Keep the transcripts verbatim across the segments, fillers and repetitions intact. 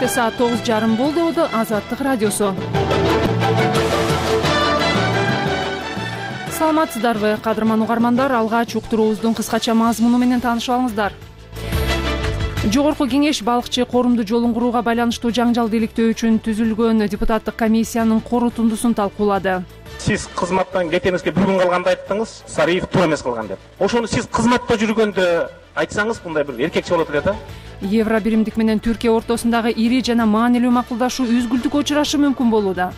Кечте саат тогуз жарым болду. Азаттык радиосу. Саламатсыздарбы, кадырман угармандар? Алгач уктуруубуздун кыскача мазмуну менен таанышып алыңыздар. Жогорку кеңеш балыкчы корумду жолун курууга байланыштуу жаңжалды иликтөө үчүн түзүлгөн депутаттык комиссиянын корутундусун талкуулады. Сиз кызматтан кетеңизге бир күн калганда айттыңыз, Сариев туура эмес кылган деп. Ошону сиз кызматта жүргөндө айтсаңыз, мындай бир эркекче болот эле да. Евро биримдик менен Түркия ортосундагы ири жана маанилүү макулдашуу үзгүлтүккө учурашы мүмкүн болууда.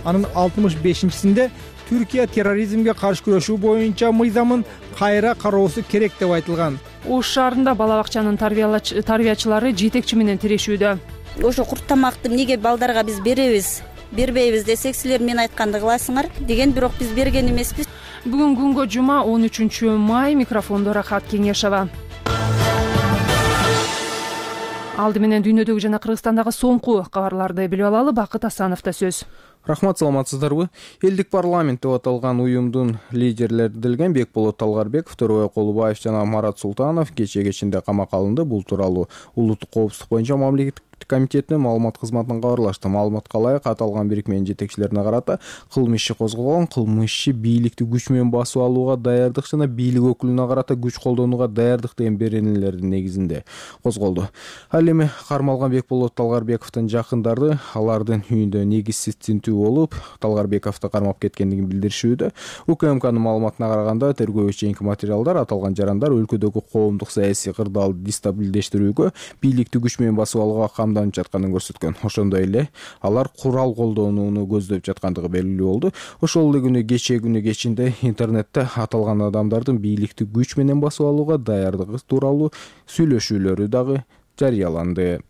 Анын алтымыш бешинчисинде Түркия терроризмге каршы күрөшүү боюнча мыйзамын кайра кароосу керек деп айтылган. Ош шаарында бала бакчанын тарбиячылары жетекчи менен тирешүүдө. Ошо курт тамакты эмнеге балдарга биз беребиз, бербейбиз десек, силер мен айтканды кыласыңар деген, бирок биз берген эмеспиз. Бүгүн күнгө жума он үчүнчү май. Микрофондо Рахат Кеңешова. Алды менен дүйнөдөгү жана Кыргызстандагы соңку кабарларды билип алалы. Бакыт Асановдо сөз. Рахмат, саламатсыздарбы? Элдик парламент деп аталган уюмдун лидерлери делген Бекболот Талгарбеков, Төрөбай Колубаев жана Марат Султанов кечээ кечинде камакка алынды. Бул тууралуу Улуттук коопсуздук боюнча мамлекеттик комитетинин маалымат кызматынан кабарлашты. Маалыматка ылайык, аталган бирикменин жетекчилерине карата кылмыш иши козголгон. Кылмыш иши бийликти күч менен басып алууга даярдык жана бийлик өкүлүнө карата күч колдонууга даярдык деген беренелердин негизинде козголду. Ал эми кармалган Бекболот Талгарбековдун жакындары алардын үйүндө негизсиз тинтүү болуп, Талгарбековду кармап кеткендигин билдиришүүдө. УКМКнын маалыматына караганда, тергөө чейинки материалдар аталган жарандар өлкөдөгү коомдук саясий кырдаалды дестабилдештирүүгө, бийликти күч менен басып алууга камданып жатканын көрсөткөн. Ошондой эле алар курал колдонууну көздөп жаткандыгы белгилүү болду. Ошол эле күнү кечээ күнү кечинде интернетте аталган адамдардын бийликти күч менен басып алууга даярдыгы тууралуу сүйлөшүүлөрү дагы жарыяланды.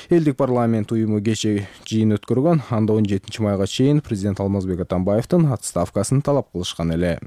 Элдик парламент уюму кечээ жыйын өткөргөн. Анда он жетинчи майга чейин президент Алмазбек Атамбаевдин отставкасын талап кылышкан эле.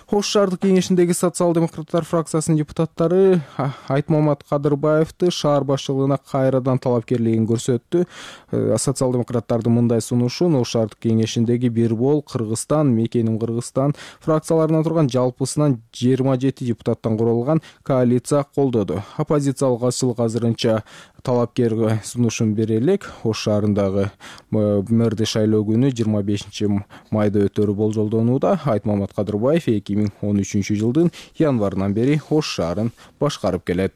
Ош шаардык кеңешиндеги социал-демократтар фракциясынын депутаттары Айтмамат Кадырбаевди шаар башчылыгына кайрадан талапкерлигин көрсөттү. Социал-демократтардын мындай сунушун Ош шаардык кеңешиндеги Бирбол, Кыргызстан, Мекеним Кыргызстан фракцияларынан турган жалпысынан жыйырма жети депутаттан куралган коалиция колдоду. Оппозициялык азчылык азырынча талапкерге сунушун бере элек. Ош шаарындагы мэрди шайлоо күнү жыйырма бешинчи майда өтөрү болжолдонууда. Айтмамат Кадырбаев эки миң он үчүнчү жылдын январынан бери Ош шаарын башкарып келет.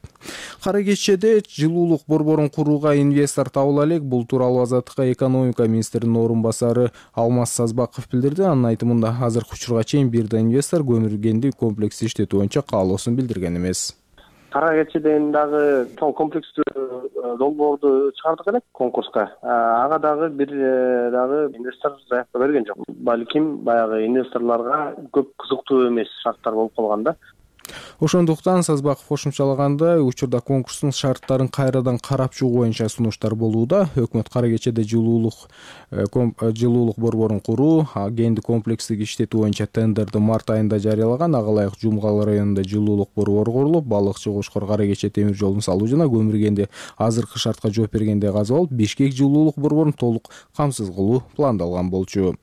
Кара кечеде жылуулук борборун курууга инвестор табыла элек. Бул тууралуу Азаттыкка экономика министринин орун басары Алмаз Сазбаков билдирди. Анын айтымында, азыркы учурга чейин бир да инвестор көмүр комплекси иштетүү боюнча каалоосун билдирген эмес. Кара кечеден дагы чоң комплекстүү долбоорду чыгардык элек конкурска. Ага дагы бир дагы инвестор заявка берген жок. Балким баягы инвесторлорго көп кызыктуу эмес шарттар болуп калган да. Ошондуктан Сазбаков кошумчалагандай, учурда конкурстун шарттарын кайрадан карап чыгуу боюнча сунуштар болууда. Өкмөт кара кечеде жылуулук жылуулук борборун куруу, кенди комплекстик иштетүү боюнча тендерди март айында жарыялаган. Ага ылайык Жумгал районунда жылуулук борбору курулуп, балыкчы Кошкор кара кече темир жолун салуу жана көмүргенди азыркы шартка жооп бергенде казып алып, Бишкек жылуулук борборун толук камсыз кылуу пландалган болчу.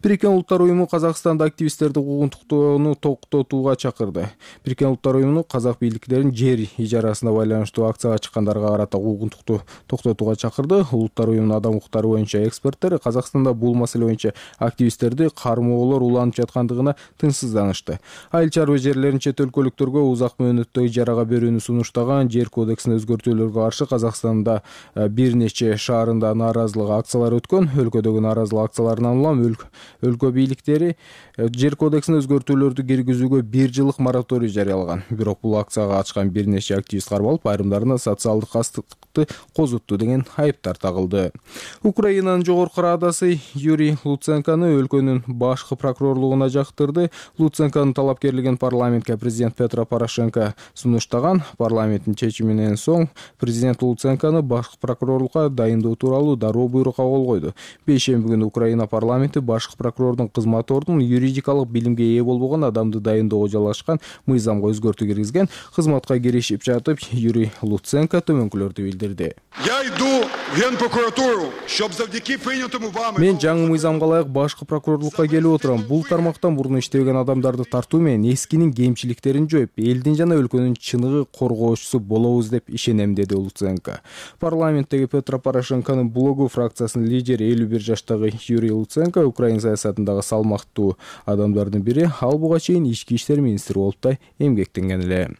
Бириккен Улуттар уюму Казакстанда активисттерди куугунтуктоону токтотууга чакырды. Бириккен Улуттар уюму казак бийликтерин жер ижарасына байланыштуу акцияга чыккандарга карата куугунтукту токтотууга чакырды. Улуттар уюмунун адам укуктары боюнча эксперттер Казакстанда бул маселе боюнча активисттерди кармоолор уланып жаткандыгына тынчсызданышты. Айыл чарба жерлерин чет өлкөлүктөргө узак мөөнөттө ижарага берүүнү сунуштаган жер кодексине өзгөртүүлөргө каршы Казакстанда бир нече шаарында нааразылык акциялары өткөн. Өлкөдөгү нааразылык акцияларынан улам өлкө бийликтери жер кодексине өзгөртүүлөрдү киргизүүгө бир жылдык мораторий жарыялаган. Бирок бул акцияга ачкан бир нече активист кармалып, айрымдарына социалдык кастыкты козутту деген айыптар тагылды. Украинанын жогорку радасы Юрий Луценкону өлкөнүн башкы прокурорлугуна жактырды. Луценконун талапкерлигин парламентке президент Петро Порошенко сунуштаган. Парламенттин чечиминен соң президент Луценкону башкы прокурорлукка дайындоо тууралуу дароо буйрукка кол койду. Бейшемби күнү Украина парламенти башкы прокурордун кызмат ордун юридикалык билимге ээ болбогон адамды дайындоого жалгашкан мыйзам өзгөртүү киргизген. Кызматка киришип жатып, Юрий Луценко төмөнкүлөрдү билдирди. Я иду в Генпрокуратуру, щоб завдяки прийнятому вами... Мен жаңы мыйзамга ылайык башкы прокурорлукка келип отурам. Бул тармактан мурун иштебеген адамдарды тартуу менен эскинин кемчиликтерин жоюп, элдин жана өлкөнүн чыныгы коргоочусу болобуз деп ишенем, деди Луценко. Парламенттеги Петро Порошенконун блогу фракциясынын лидери элүү бир жаштагы Юрий Луценко Украина саясатындагы салмактуу адамдардын бири, ал буга чейин ички иштер министри болуп да эмгектенген эле.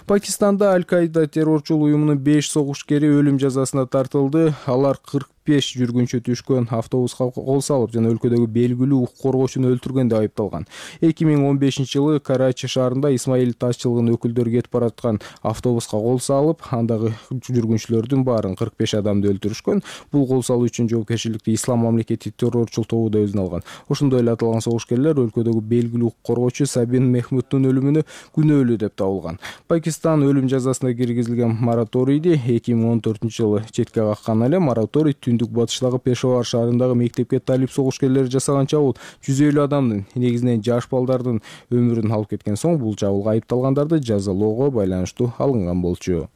Пакистанда Аль-Каида террорчул уюмунун беш согушкери өлүм жазасына тартылды. Алар кырк беш жүргүнчү түшкөн автобуска кол салып жана өлкөдөгү белгилүү укук коргоочуну өлтүргөн деп айыпталган. эки миң он бешинчи жылы Карачи шаарында Исмаил ташчылыгынын өкүлдөрү кетип бараткан автобуска кол салып, андагы жүргүнчүлөрдүн баарын кырк беш адамды өлтүрүшкөн. Бул кол салуу үчүн жоопкерчиликти Ислам мамлекети террорчул тобу да өзүнө алган. Ошондой эле аталган согушкерлер өлкөдөгү белгилүү укук коргоочу Сабин Мехмудтун өлүмүнө күнөөлүү деп табылган. Пакистан өлүм жазасына киргизилген мораторийди эки миң он төртүнчү жылы четке каккан эле. Мораторий түндүк батыштагы Пешавар шаарындагы мектепке талип согушкерлери жасаган чабуул жүз элүү адамдын, негизинен жаш балдардын өмүрүн алып кеткен соң, бул чабуулга айыпталгандарды жазалоого байланыштуу алынган болчу.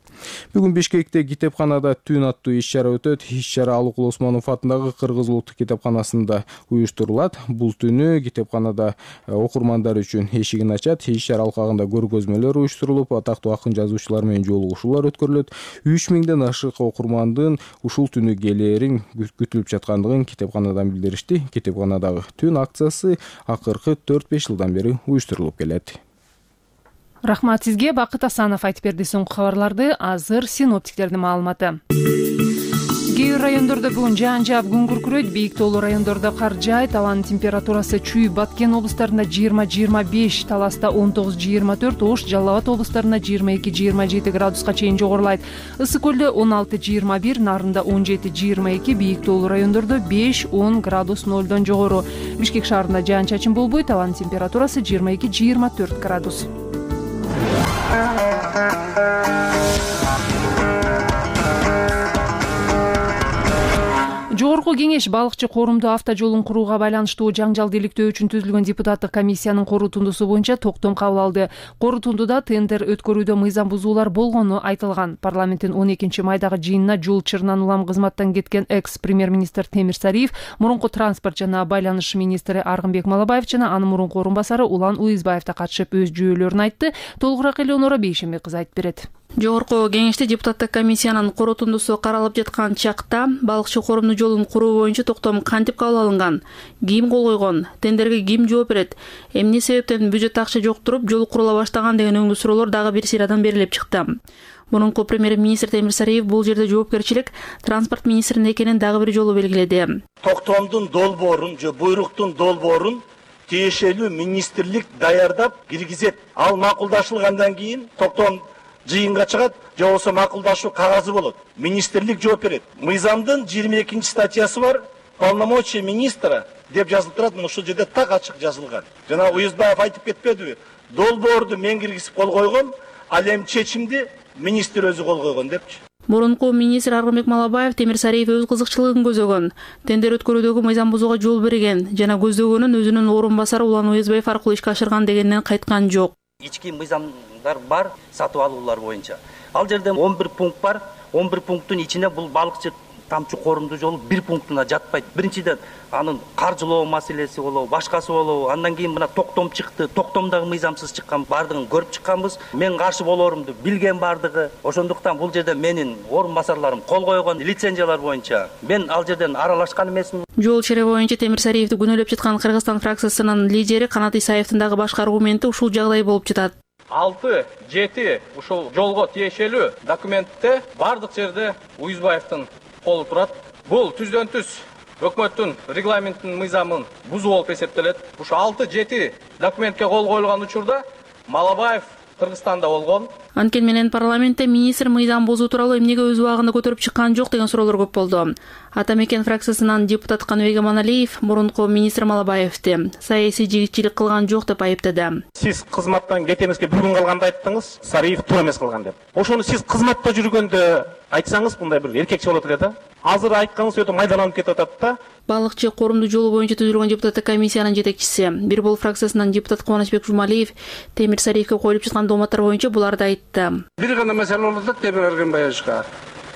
Бүгүн Бишкекте китепканада түн аттуу иш-чара өтөт. Иш-чара Алыкул Осмонов атындагы Кыргыз улуттук китепканасында уюштурулат. Бул түнү китепканада окурмандар үчүн эшигин ачат. Иш-чара алкагында көргөзмөлөр уюштурулуп, атактуу акын жазуучулар менен жолугушуулар өткөрүлөт. үч миңден ашык окурмандын ушул түнү келээрин күтүлүп жаткандыгын китепканадан билдиришти. Китепканадагы түн акциясы акыркы төрт беш жылдан бери уюштурулуп келет. Рахмат сизге. Бакыт Асанов айтып берди соңку кабарларды. Азыр синоптиктердин маалыматы. Кээ бир райондордо бүгүн жаан жаап күн күркүрөйт, бийик тоолуу райондордо кар жаайт. Абанын температурасы Чүй, Баткен облустарында жыйырма жыйырма беш, Таласта он тогуз жыйырма төрт, Ош, Жалал Абад облустарында жыйырма эки жыйырма жети градуска чейин жогорулайт. Ысык көлдө он алты жыйырма бир, Нарында он жети жыйырма эки, бийик тоолуу райондордо беш он градус нолдон жогору. Бишкек шаарында жаан чачын болбойт, абанын температурасы жыйырма эки жыйырма төрт градус. Жогорку кеңеш балыкчы корумду автожолун курууга байланыштуу жаңжал иликтөө үчүн түзүлгөн депутаттык комиссиянын корутундусу боюнча токтом кабыл алды. Корутундуда тендер өткөрүүдө мыйзам бузуулар болгону айтылган. Парламенттин он экинчи майдагы жыйынына жол чырынан улам кызматтан кеткен экс-премьер-министр Темир Сариев, мурунку транспорт жана байланыш министри Аргынбек Малабаев жана анын мурунку орун басары Улан Уйзбаев да катышып өз жүйөлөрүн айтты. Толугураак Элеонора Бейшембек кызы айтып берет. Жогорку кеңеште депутаттык комиссиянын корутундусу каралып жаткан чакта балыкчы корумду жолун куруу боюнча токтом кантип кабыл алынган, ким кол койгон, тендерге ким жооп берет, эмне себептен бюджет акча жок туруп жол курула баштаган деген өңдүү суроолор дагы бир сыйрадан берилип чыкты. Мурунку премьер-министр Темир Сариев бул жерде жоопкерчилик транспорт министринде экенин дагы бир жолу белгиледи. Токтомдун долбоорун же буйруктун долбоорун тиешелүү министрлик даярдап киргизет. Ал макулдашылгандан кийин токтом жыйынга чыгат, же болбосо макулдашуу кагазы болот. Министрлик жооп берет. Мыйзамдын жыйырма экинчи статьясы бар, полномочия министра деп жазылып турат, ушул жерде так ачык жазылган. Жана Уюзбаев айтып кетпедиби? Долбоорду мен киргизип кол койгом, ал эми чечимди министр өзү кол койгон депчи. Мурунку министр Аргынбек Малабаев Темир Сариев өз кызыкчылыгын көзөгөн, тендер өткөрүүдөгү мыйзам бузууга жол берген жана көздөгөнүн өзүнүн орун басары Улан Уюзбаев аркылуу ишке ашырган дегенден кайткан жок. Ички мыйзамдар бар сатып алуулар боюнча. Ал жерде он бир пункт бар. он бир пункттун ичинде бул балыкчы тамчы корумду жолу бир пунктуна жатпайт. Биринчиден анын каржылоо маселеси болобу, башкасы болобу. Андан кийин мына токтом чыкты. Токтомдагы мыйзамсыз чыккан бардыгын көрүп чыкканбыз. Мен каршы болорумду билген бардыгы. Ошондуктан бул жерде менин орун басарларым кол койгон лицензиялар боюнча мен ал жерден аралашкан эмесмин. Жол чире боюнча Темир Сариевди күнөөлөп жаткан Кыргызстан фракциясынын лидери Канат Исаевдин дагы башка аргументи ушул жагдай болуп жатат. алты жети ушул жолго тиешелүү документте бардык жерде Уюзбаевдин колу турат. Бул түздөн түз өкмөттүн регламентинин мыйзамын бузуу болуп эсептелет. Ушу алты жети документке кол коюлган учурда Малабаев Кыргызстанда болгон. Анткени менен парламентте министр мыйзам бузуу тууралуу эмнеге өз убагында көтөрүп чыккан жок деген суроолор көп болду. Ата Мекен фракциясынан депутат Каныбек Аманалиев мурунку министр Малабаевди саясий жигитчилик кылган жок деп айыптады. Сиз кызматтан кетемизге бир күн калганда айттыңыз, Сариев туура эмес кылган деп. Ошону сиз кызматта жүргөндө айтсаңыз, мындай бир эркекче болот эле да. азыр айтканыңыз өтө майдаланып кетип атат да. Балыкчы коомдук жолу боюнча түзүлгөн депутаттык комиссиянын жетекчиси Бир Бол фракциясынан депутат Кубанычбек Жумалиев Темир Сариевке коюлуп жаткан дооматтар боюнча буларды айтты. Бир гана маселе болуп атат Темир Эргенбаевичка.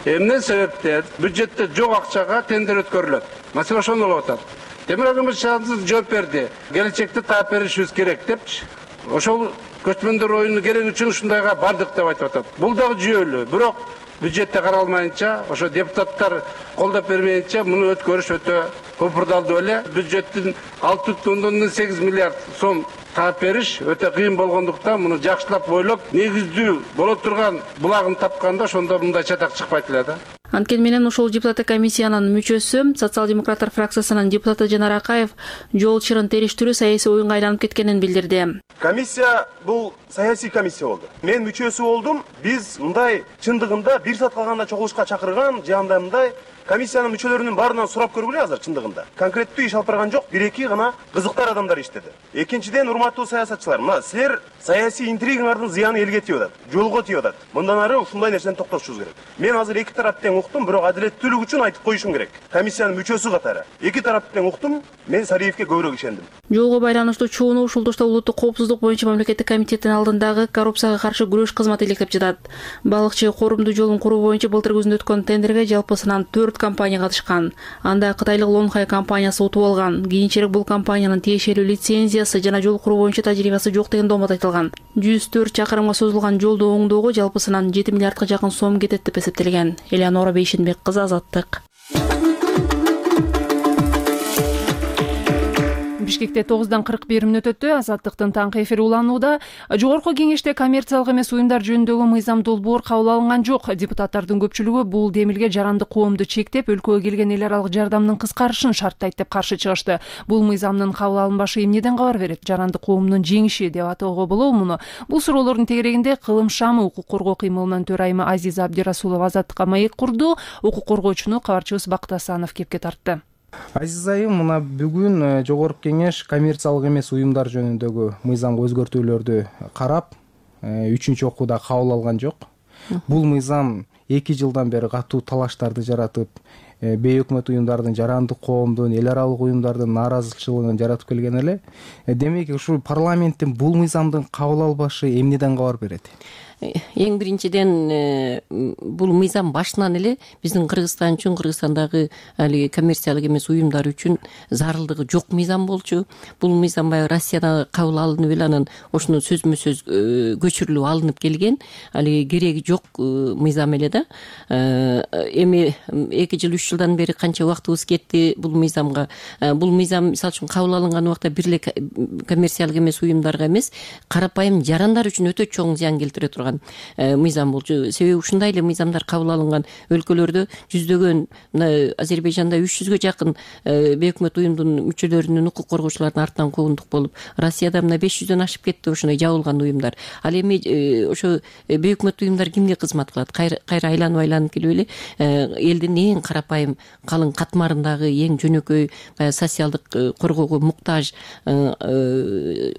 Эмне себептен бюджетте жок акчага тендер өткөрүлөт? Маселе ошондо болуп атат. Темир Эргенбаевич жооп берди. Келечекте таап беришибиз керек депчи. Ошол көчмөндөр оюну керек үчүн ушундайга бардык деп айтып атат. Бул дагы жүйөлүү. Бирок бюджетте каралмайынча, ошо депутаттар колдоп бермейинче муну өткөрүш өтө көпүрдалдуу эле. Бюджеттин алты бүтүн ондон сегиз миллиард сом таап бериш өтө кыйын болгондуктан муну жакшылап ойлоп, негиздүү боло турган булагын тапканда ошондо мындай чатак чыкпайт эле да. Анткени менен ошол депутаттык комиссиянын мүчөсү социал-демократтар фракциясынын депутаты Жанар Акаев жол чырын териштирүү саясий оюнга айланып кеткенин билдирди. Комиссия бул саясий комиссия болду. Мен мүчөсү болдум. Биз мындай чындыгында бир саат калганда чогулушка чакырган, же андай мындай комиссиянын мүчөлөрүнүн баарынан сурап көргүлө азыр чындыгында. Конкреттүү иш алып барган жок, бир-эки гана кызыктар адамдар иштеди. Экинчиден, урматтуу саясатчылар, мына силер саясий интригаңардын зыяны элге тийип атат, жолго тийип атат. Мындан ары ушундай нерсени токтотушубуз керек. Мен азыр эки тарапты тең уктум, бирок адилеттүүлүк үчүн айтып коюшум керек. Комиссиянын мүчөсү катары эки тарапты тең уктум, мен Сариевке көбүрөөк ишендим. Жолго байланыштуу чууну Ушулдушта улуттук коопсуздук боюнча мамлекеттик комитеттин алдындагы коррупцияга каршы күрөш кызматы иликтеп жатат. Балыкчы коомдук жолун куруу боюнча былтыр күзүндө өткөн тендерге жалпысынан төрт компания катышкан. Анда кытайлык Лонхай компаниясы утуп алган. Кийинчерээк бул компаниянын тиешелүү лицензиясы жана жол куруу боюнча тажрыйбасы жок деген доомат айтылган. жүз төрт чакырымга созулган жолду оңдоого жалпысынан жети миллиардка жакын сом кетет деп эсептелген. Элеонора Бейшенбек кызы, Азаттык. Бишкекте тогуздан кырк бир мүнөт өттү. Азаттыктын таңкы эфири уланууда. Жогорку кеңеште коммерциялык эмес уюмдар жөнүндөгү мыйзам долбоор кабыл алынган жок. Депутаттардын көпчүлүгү бул демилге жарандык коомду чектеп, өлкөгө келген эл аралык жардамдын кыскарышын шарттайт деп каршы чыгышты. Бул мыйзамдын кабыл алынбашы эмнеден кабар берет? Жарандык коомдун жеңиши деп атоого болобу муну? Бул суроолордун тегерегинде Кылым шамы укук коргоо кыймылынын төрайымы Азиза Абдирасулова Азаттыкка маек курду. Укук коргоочуну кабарчыбыз Бакыт Асанов кепке тартты. Азиз айым, мына бүгүн жогорку кеңеш коммерциялык эмес уюмдар жөнүндөгү мыйзамга өзгөртүүлөрдү карап, үчүнчү окууда кабыл алган жок. Бул мыйзам эки жылдан бери катуу талаштарды жаратып, бейөкмөт уюмдардын, жарандык коомдун, эл аралык уюмдардын нааразычылыгын жаратып келген эле. Демек, ушул парламенттин бул мыйзамдын кабыл албашы эмнеден кабар берет? Эң биринчиден бул мыйзам башынан эле биздин Кыргызстан үчүн, Кыргызстандагы али коммерциялык эмес уюмдар үчүн зарылдыгы жок мыйзам болчу. Бул мыйзам баягы Россияда кабыл алынып эле анан ошону сөзмө сөз көчүрүлүп алынып келген. Али кереги жок мыйзам эле да. Эми эки жыл үч жылдан бери канча убактыбыз кетти бул мыйзамга. Бул мыйзам мисалы үчүн кабыл алынган убакта бир эле коммерциялык эмес уюмдарга эмес, карапайым жарандар үчүн өтө чоң зыян келтире турган мыйзам болчу. Себеби ушундай эле мыйзамдар кабыл алынган өлкөлөрдө жүздөгөн, мына Азербайжанда үч жүзгө жакын бейөкмөт уюмдун мүчөлөрүнүн, укук коргоочулардын артынан куугундук болуп, Россияда мына беш жүздөн ашып кетти ошондой жабылган уюмдар. Ал эми ошо бейөкмөт уюмдар кимге кызмат кылат? Кайра айланып айланып келип эле элдин эң карапайым калың катмарындагы эң жөнөкөй социалдык коргоого муктаж,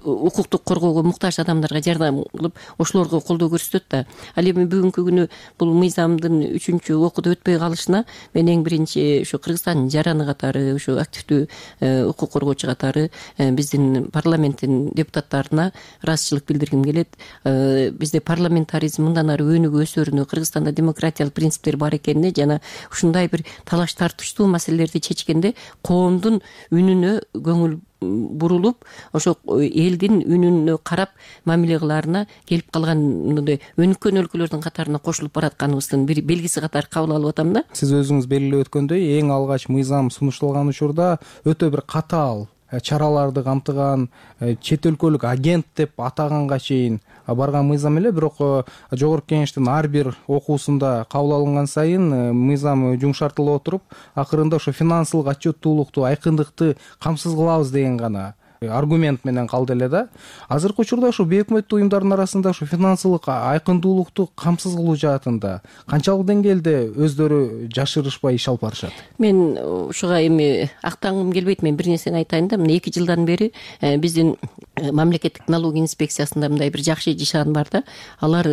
укуктук коргоого муктаж адамдарга жардам кылып, ошолорго колдоо көрсөтөт да. Ал эми бүгүнкү күнү бул мыйзамдын үчүнчү окууда өтпөй калышына мен эң биринчи ошо Кыргызстандын жараны катары, ошо активдүү укук коргоочу катары биздин парламенттин депутаттарына ыраазычылык билдиргим келет. Бизде парламентаризм мындан ары өнүгүп өсөрүнө, Кыргызстанда демократиялык принциптер бар экенине жана ушундай бир талаш тартыштуу маселелерди чечкенде коомдун үнүнө көңүл бурулуп, ошо элдин үнүнө карап мамиле кылаарына келип калган мындай өнүккөн өлкөлөрдүн катарына кошулуп баратканыбыздын бир белгиси катары кабыл алып атам да. Сиз өзүңүз белгилеп өткөндөй, эң алгач мыйзам сунушталган учурда өтө бир катаал чараларды камтыган, чет өлкөлүк агент деп атаганга чейин барган мыйзам эле. Бирок жогорку кеңештин ар бир окуусунда кабыл алынган сайын мыйзам жумшартыла отуруп, акырында ошо финансылык отчеттуулукту, айкындыкты камсыз кылабыз деген гана аргумент менен калды эле да. Азыркы учурда ошо бейөкмөттүү уюмдардын арасында ошо финансылык айкындуулукту камсыз кылуу жаатында канчалык деңгээлде өздөрү жашырышпай иш алып барышат? Мен ушуга эми актангым келбейт, мен бир нерсени айтайын да. Мына эки жылдан бери биздин мамлекеттик налог инспекциясында мындай бир жакшы жишан бар да. Алар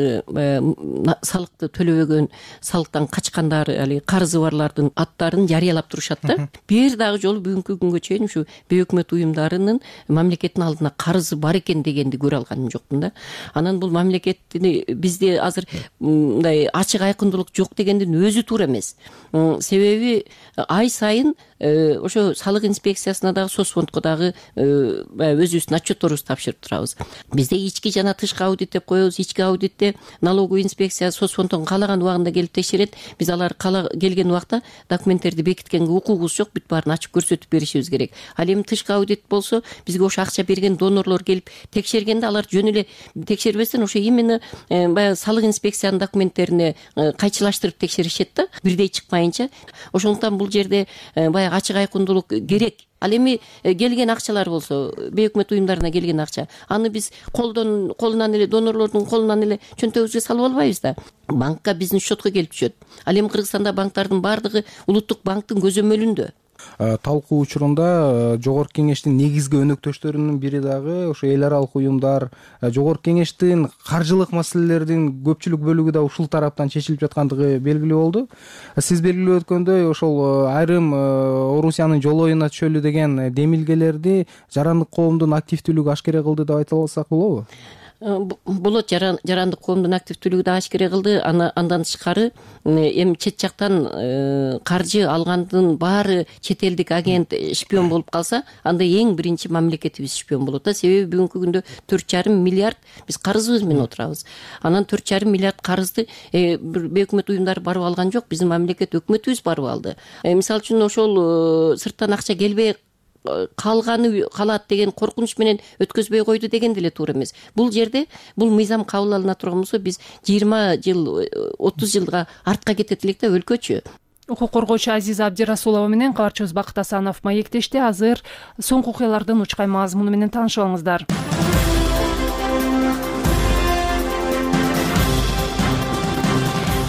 салыкты төлөбөгөн, салыктан качкандар, али карызы барлардын аттарын жарыялап турушат да. Бир дагы жолу бүгүнкү күнгө чейин ушу бейөкмөт уюмдарынын мамлекеттин алдына карызы бар экен дегенди көрө алганым жокмун да. Анан бул мамлекетти бизде азыр мындай ачык айкындуулук жок дегендин өзү туура эмес. Себеби ай сайын ошо салык инспекциясына дагы соцфондко дагы өзүбүздүн отчетторубузду тапшырып турабыз. Бизде ички жана тышкы аудит деп коебуз. Ички аудитте налоговый инспекция соцфонддон каалаган убагында келип текшерет. Биз алар келген убакта документтерди бекиткенге укугубуз жок, бүт баарын ачып көрсөтүп беришибиз керек. Ал эми тышкы аудит болсо бизге ошо акча берген донорлор келип текшергенде алар жөн эле текшербестен ошо именно баягы салык инспекциянын документтерине кайчылаштырып текшеришет да, бирдей чыкпайынча. Ошондуктан бул жерде баягы ачык айкындуулук керек. Ал эми келген акчалар болсо, бейөкмөт уюмдарына келген акча, аны биз колдон колунан эле донорлордун колунан эле чөнтөгүбүзгө салып албайбыз да. Банкка биздин счетко келип түшөт. Ал эми Кыргызстанда банктардын баардыгы улуттук банктын көзөмөлүндө. Талкуу учурунда Жогорку Кеңештин негизги өнөктөштөрүнүн бири дагы ошо эл аралык уюмдар. Жогорку Кеңештин каржылык маселелердин көпчүлүк бөлүгү да ушул тараптан чечилип жаткандыгы белгилүү болду. Сиз белгилеп өткөндөй, ошол айрым Орусиянын жол оюна түшөлү деген демилгелерди жарандык коомдун активдүүлүгү ашкере кылды деп айта алсак болобу? Болот, жарандык коомдун активдүүлүгү да ашкере кылды. Андан тышкары эми чет жактан каржы алгандын баары чет элдик агент, шпион болуп калса, анда эң биринчи мамлекетибиз шпион болот да. Себеби бүгүнкү күндө төрт жарым миллиард биз карызыбыз менен отурабыз. Анан төрт жарым миллиард карызды бейөкмөт уюмдар барып алган жок, биздин мамлекет өкмөтүбүз барып алды. Мисалы үчүн ошол сырттан акча келбей калганы калат деген коркунуч менен өткөзбөй койду деген деле туура эмес. Бул жерде бул мыйзам кабыл алына турган болсо биз жыйырма жыл, отуз жылга артка кетет элек да өлкөчү. Укук коргоочу Азиза Абдирасулова менен кабарчыбыз Бакыт Асанов маектешти. Азыр соңку окуялардын учкай мазмуну менен таанышып алыңыздар.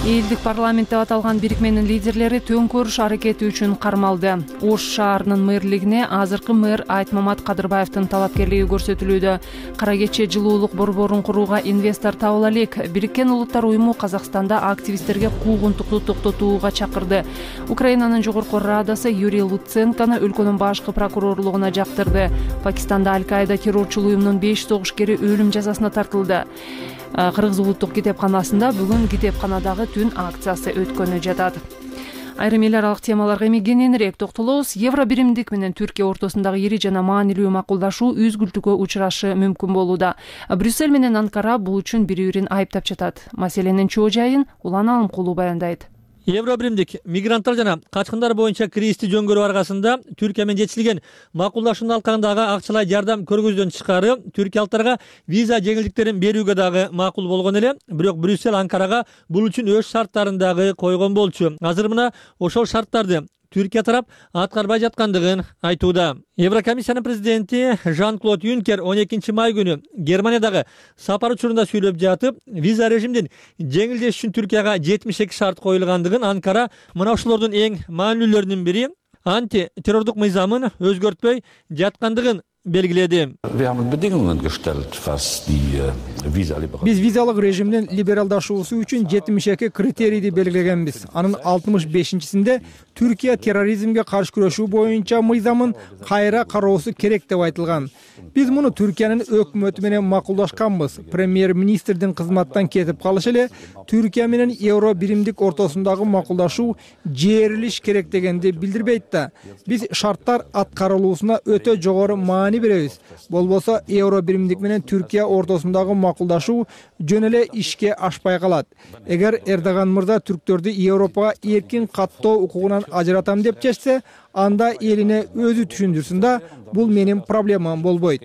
Элдик парламент деп аталган бирикменин лидерлери төңкөрүш аракети үчүн кармалды. Ош шаарынын мэрлигине азыркы мэр Айтмамат Кадырбаевдин талапкерлиги көрсөтүлүүдө. Кара кече жылуулук борборун курууга инвестор табыла элек. Бириккен Улуттар уюму Казакстанда активисттерге куугунтукту токтотууга чакырды. Украинанын жогорку радасы Юрий Луценкону өлкөнүн башкы прокурорлугуна жактырды. Пакистанда Аль-Каида террорчу уюмунун беш согушкери өлүм жазасына тартылды. Кыргыз улуттук китепканасында бүгүн китепканадагы түн акциясы өткөнү жатат. Айрым эл аралык темаларга эми кененирээк токтолобуз. Евро биримдик менен Түркия ортосундагы ири жана маанилүү макулдашуу үзгүлтүүгө учурашы мүмкүн болууда. Брюссель менен Анкара бул үчүн бири-бирин айыптап жатат. Маселенин чоо жайын Улан Алымкулуу баяндайт. Евро биримдик мигранттар жана качкындар боюнча кризисти жөнгөрүү аркасында Түркия менен жетишилген макулдашуунун алкагындагы акчалай жардам көргөздөн тышкары түркиялыктарга виза жеңилдиктерин берүүгө дагы макул болгон эле. Бирок Брюссель Анкарага бул үчүн өз шарттарын дагы койгон болчу. Азыр мына ошол шарттарды Түркия тарап аткарбай жаткандыгын айтууда. Еврокомиссиянын президенти Жан-Клод Юнкер он экинчи май күнү Германиядагы сапар учурунда сүйлөп жатып, виза режимдин жеңилдеш үчүн Түркияга жетимиш эки шарт коюлгандыгын, Анкара мына ушулордун эң маанилүүлөрүнүн бири анти террордук мыйзамын өзгөртпөй жаткандыгын белгиледи. Биз визалык режимдин либералдашуусу үчүн жетимиш эки критерийди белгилегенбиз. Анын алтымыш бешинчисинде Түркия терроризмге каршы күрөшүү боюнча мыйзамын кайра кароосу керек деп айтылган. Биз муну Түркиянын өкмөтү менен макулдашканбыз. Премьер-министрдин кызматтан кетип калышы эле Түркия менен евро биримдик ортосундагы макулдашуу жээрилиш керек дегенди билдирбейт да. Биз шарттар аткарылуусуна өтө жогору маани беребиз. Болбосо евро биримдик менен Түркия ортосундагы макулдашуу жөн эле ишке ашпай калат. Эгер Эрдоган мырза түрктөрдү Европага эркин каттоо укугунан ажыратам деп чечсе, анда элине өзү түшүндүрсүн да, бул менин проблемам болбойт.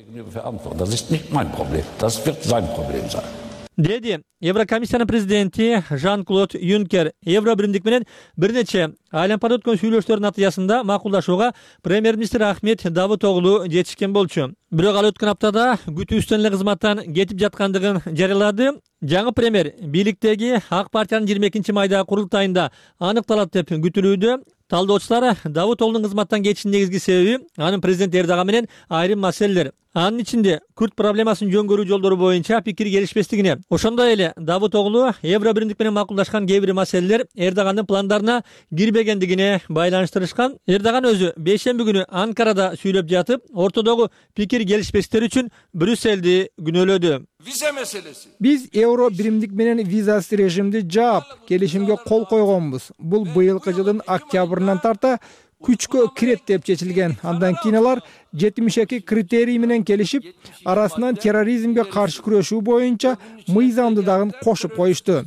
Деди Еврокомиссиянын президенти Жан-Клод Юнкер. Евро биримдик менен бир нече айлампада өткөн сүйлөшүүлөрдүн натыйжасында макулдашууга премьер-министр Ахмет Давутоглу жетишкен болчу. Бирок ал өткөн аптада күтүүбүздөн эле кызматтан кетип жаткандыгын жарыялады. Жаңы премьер бийликтеги Ак партиянын жыйырма экинчи майдагы курултайында аныкталат деп күтүлүүдө. Талдоочулар Давутоглунун кызматтан кетишинин негизги себеби анын президент Эрдоган менен айрым маселелер, анын ичинде Күрд проблемасын жөн көрүү жолдору боюнча пикир келишпестигине, ошондой эле Давутоглу Евро биримдик менен макулдашкан кээ бир маселелер Эрдогандын пландарына кирбегендигине байланыштырышкан. Эрдоган өзү бейшемби күнү Анкарада сүйлөп жатып, ортодогу пикир келишпестиктер үчүн Брюссельди күнөөлөдү. Vize meselesi. Биз евро биримдик менен визасыз режимди жаап, келишимге кол койгонбуз. Бул быйылкы жылдын октябрынан тарта күчкө кирет деп чечилген. Андан кийин алар жетимиш эки критерий менен келишип, арасынан терроризмге каршы күрөшүү боюнча мыйзамды дагы кошуп коюшту.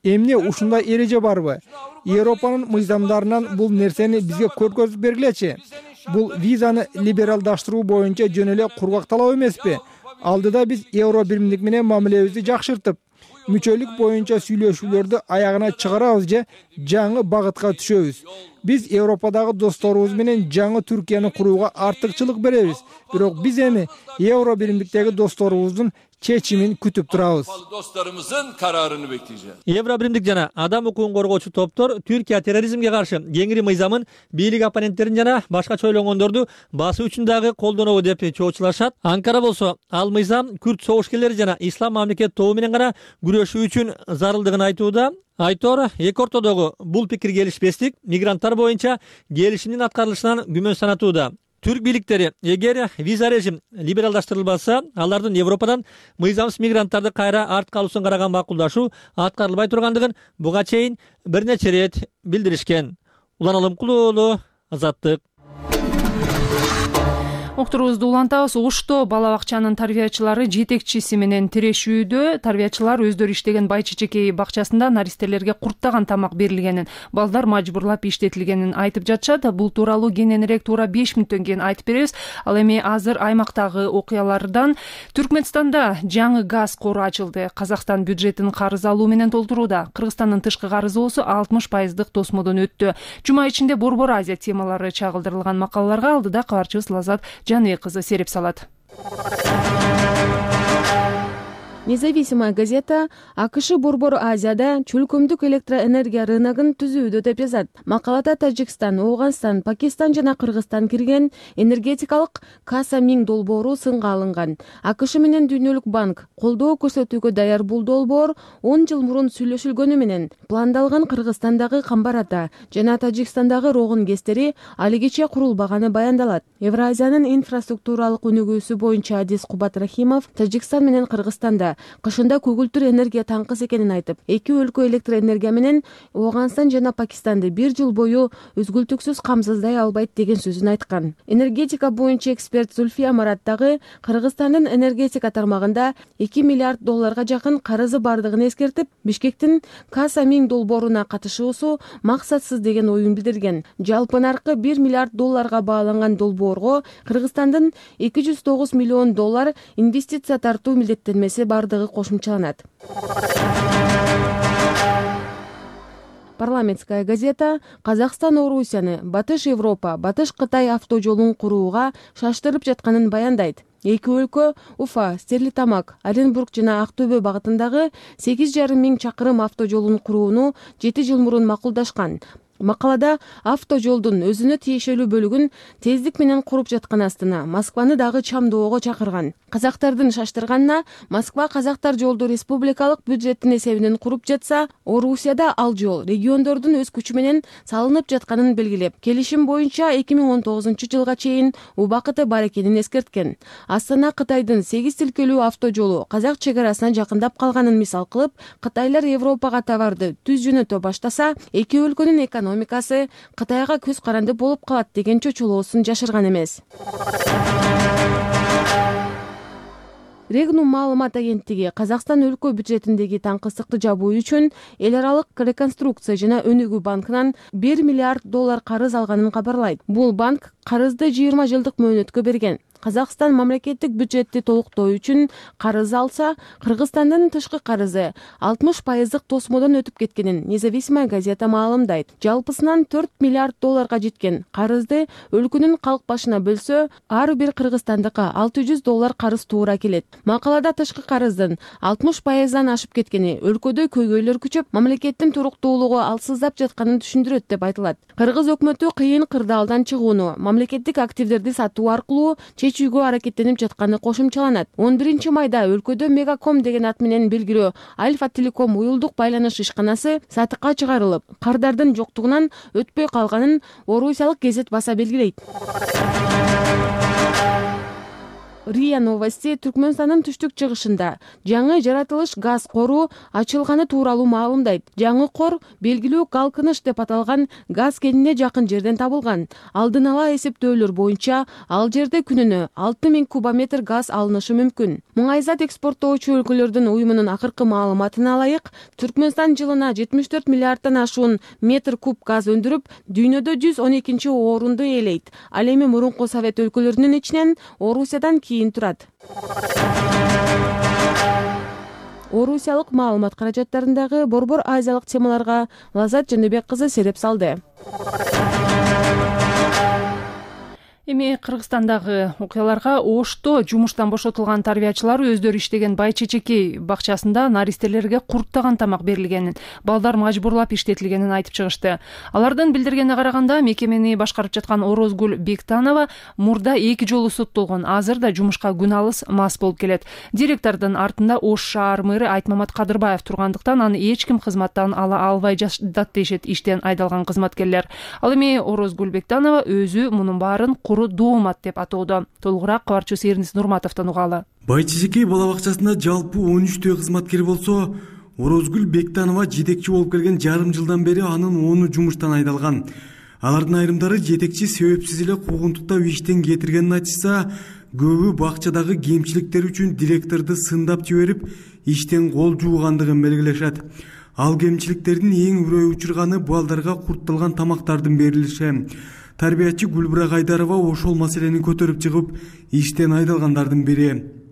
Эмне ушундай эреже барбы? Европанын мыйзамдарынан бул нерсени бизге көргөзүп бергилечи. Бул визаны либералдаштыруу боюнча жөн эле кургак талап эмеспи? Алдыда биз евро биримдик менен мамилебизди жакшыртып, мүчөлүк боюнча сүйлөшүүлөрдү аягына чыгарабыз же жаңы багытка түшөбүз. Биз Европадагы досторубуз менен жаңы Түркияны курууга артыкчылык беребиз. Бирок биз эми евро биримдиктеги досторубуздун чечимин күтүп турабыз. Dostlarımızın kararını bekleyeceğiz. Евро биримдик жана адам укугун коргоочу топтор Түркия терроризмге каршы кеңири мыйзамын бийлик оппоненттерин жана башкача ойлогондорду басуу үчүн дагы колдонобу деп чоочулашат. Анкара болсо ал мыйзам Күрд согушкерлери жана ислам мамлекет тобу менен гана күрөшүү үчүн зарылдыгын айтууда. Айтор эки ортодогу бул пикир келишпестик мигранттар боюнча келишимдин аткарылышынан күмөн санатууда. Түрк бийликтери эгер виза режим либералдаштырылбаса, алардын Европадан мыйзамсыз мигранттарды кайра артка алуусун караган макулдашуу аткарылбай тургандыгын буга чейин бир нече ирет билдиришкен. Улан Алымкулуу уулу, Азаттык. Уктурубузду улантабыз. Ошто бала бакчанын тарбиячылары жетекчиси менен тирешүүдө. Тарбиячылар өздөрү иштеген бай чечекей бакчасында наристелерге курттаган тамак берилгенин, балдар мажбурлап иштетилгенин айтып жатышат. Бул тууралуу кененирээк туура беш мүнөттөн кийин айтып беребиз. Ал эми азыр аймактагы окуялардан Түркмөнстанда жаңы газ кору ачылды. Казакстан бюджетин карыз алуу менен толтурууда. Кыргызстандын тышкы карызоосу алтымыш пайыздык тосмодон өттү. Жума ичинде Борбор Азия темалары чагылдырылган макалаларга алдыда кабарчыбыз Лазат Жаный кызы сереп салат. Независимая газета АКШ Борбор Азияда чөлкөмдүк электроэнергия рыногун түзүүдө деп жазат. Макалада Тажикстан, Ооганстан, Пакистан жана Кыргызстан кирген энергетикалык касса миң долбоору сынга алынган. АКШ менен Дүйнөлүк банк колдоо көрсөтүүгө даяр бул долбоор он жыл мурун сүйлөшүлгөнү менен пландалган Кыргызстандагы Камбар Ата жана Тажикстандагы Рогун ГЭСтери алигиче курулбаганы баяндалат. Евразиянын инфраструктуралык өнүгүүсү боюнча Адис Кубат Рахимов Тажикстан менен Кыргызстанда кышында көгүлтүр энергия таңкыс экенин айтып, эки өлкө электроэнергия менен Ооганстан жана Пакистанды бир жыл бою үзгүлтүксүз камсыздай албайт деген сөзүн айткан. Энергетика боюнча эксперт Зульфия Марат дагы Кыргызстандын энергетика тармагында эки миллиард долларга жакын карызы бардыгын эскертип, Бишкектин касса миң долбооруна катышуусу максатсыз деген оюн билдирген. Жалпы наркы бир миллиард долларга бааланган долбоорго Кыргызстандын эки жүз тогуз миллион доллар инвестиция тартуу милдеттенмеси бардыгы кошумчаланат. Парламентская газета Казакстан Орусияны Батыш Европа, Батыш Кытай автожолун курууга шаштырып жатканын баяндайт. Эки өлкө Уфа, Стерлитамак, Оренбург жана Актөбө багытындагы сегиз жарым миң чакырым автожолун курууну жети жыл мурун макулдашкан. Макалада автожолдун өзүнө тиешелүү бөлүгүн тездик менен куруп жаткан астына Москваны дагы чамдоого чакырган. Казактардын шаштырганына Москва казактар жолду республикалык бюджеттин эсебинен куруп жатса, Орусияда ал жол региондордун өз күчү менен салынып жатканын белгилеп, келишим боюнча эки миң он тогузунчу жылга чейин убакыты бар экенин эскерткен. Астана Кытайдын сегиз тилкелүү автожолу казак чек арасына жакындап калганын мисал кылып, кытайлар Европага товарды түз жөнөтө баштаса, эки өлкөнүн экономикасы Кытайга көз каранды болуп калат деген чочулоосун жашырган эмес. Регнум маалымат агенттиги Казакстан өлкө бюджетиндеги таңкыстыкты жабуу үчүн эл аралык реконструкция жана өнүгүү банкынан бир миллиард доллар карыз алганын кабарлайт. Бул банк карызды жыйырма жылдык мөөнөткө берген. Казакстан мамлекеттик бюджетти толуктоо үчүн карыз алса, Кыргызстандын тышкы карызы алтымыш пайыздык тосмодон өтүп кеткенин Независимая газета маалымдайт. Жалпысынан төрт миллиард долларга жеткен карызды өлкөнүн калк башына бөлсө, ар бир кыргызстандыкка алты жүз доллар карыз туура келет. Макалада тышкы карыздын алтымыш пайыздан ашып кеткени, өлкөдө көйгөйлөр күчөп, мамлекеттин туруктуулугу алсыздап жатканын түшүндүрөт деп айтылат. Кыргыз өкмөтү кыйын кырдаалдан чыгууну, мамлекеттик активдерди сатуу аркылуу чечүүгө аракеттенип жатканы кошумчаланат. он биринчи майда өлкөдө Мегаком деген ат менен белгилүү Альфа Телеком уюлдук байланыш ишканасы сатыкка чыгарылып, кардардын жоктугунан өтпөй калганын Орусиялык гезет баса белгилейт. РИА Новости Түркмөнстандын түштүк-чыгышында жаңы жаратылыш газ кору ачылганы тууралуу маалымдайт. Жаңы кор белгилүү Галкыныш деп аталган газ кенине жакын жерден табылган. Алдын ала эсептөөлөр боюнча, ал жерде күнүнө алты миң кубометр газ алынышы мүмкүн. Муңайзат экспорттоочу өлкөлөрдүн уюмунун акыркы маалыматына ылайык, Түркмөнстан жылына жетимиш төрт миллиарддан ашуун метр куб газ өндүрүп, дүйнөдө жүз он экинчи орунду ээлейт. Ал эми мурунку Совет өлкөлөрүнүн ичинен Орусиядан кийин турат. Орусиялык маалымат каражаттарындагы борбор азиялык темаларга Лазат Жаныбек кызы сереп салды. Эми Кыргызстандагы окуяларга Ошто жумуштан бошотулган тарбиячылар өздөрү иштеген Бай-Чечекей бакчасында наристелерге курттаган тамак берилгенин, балдар мажбурлап иштетилгенин айтып чыгышты. Алардын билдиргенине караганда, мекемени башкарып жаткан Орозгүл Бектанова мурда эки жолу соттолгон, азыр да жумушка күн алыс мас болуп келет. Директордун артында Ош шаар мэрі Айтмамат Кадырбаев тургандыктан аны эч ким кызматтан ала албай жатат дешет иштен айдалган кызматкерлер. Ал эми Орозгүл Бектанова өзү мунун баарын доомат деп атоодо. Толугураак кабарчыбыз Эрнис Нурматовдон угалы. Бай-Чечекей бала бакчасында жалпы он үчтөй кызматкер болсо, Орозгүл Бектанова жетекчи болуп келген жарым жылдан бери анын оны жумуштан айдалган. Алардын айрымдары жетекчи себепсиз эле куугунтуктап иштен кетиргенин айтышса, көбү бакчадагы кемчиликтер үчүн директорду сындап жиберип, иштен кол жуугандыгын белгилешет. Ал кемчиликтердин эң үрөй учурганы балдарга куртталган тамактардын берилиши. Тарбиячы Гүлбира Кайдарова ошол маселени көтөрүп чыгып, иштен айдалгандардын бири.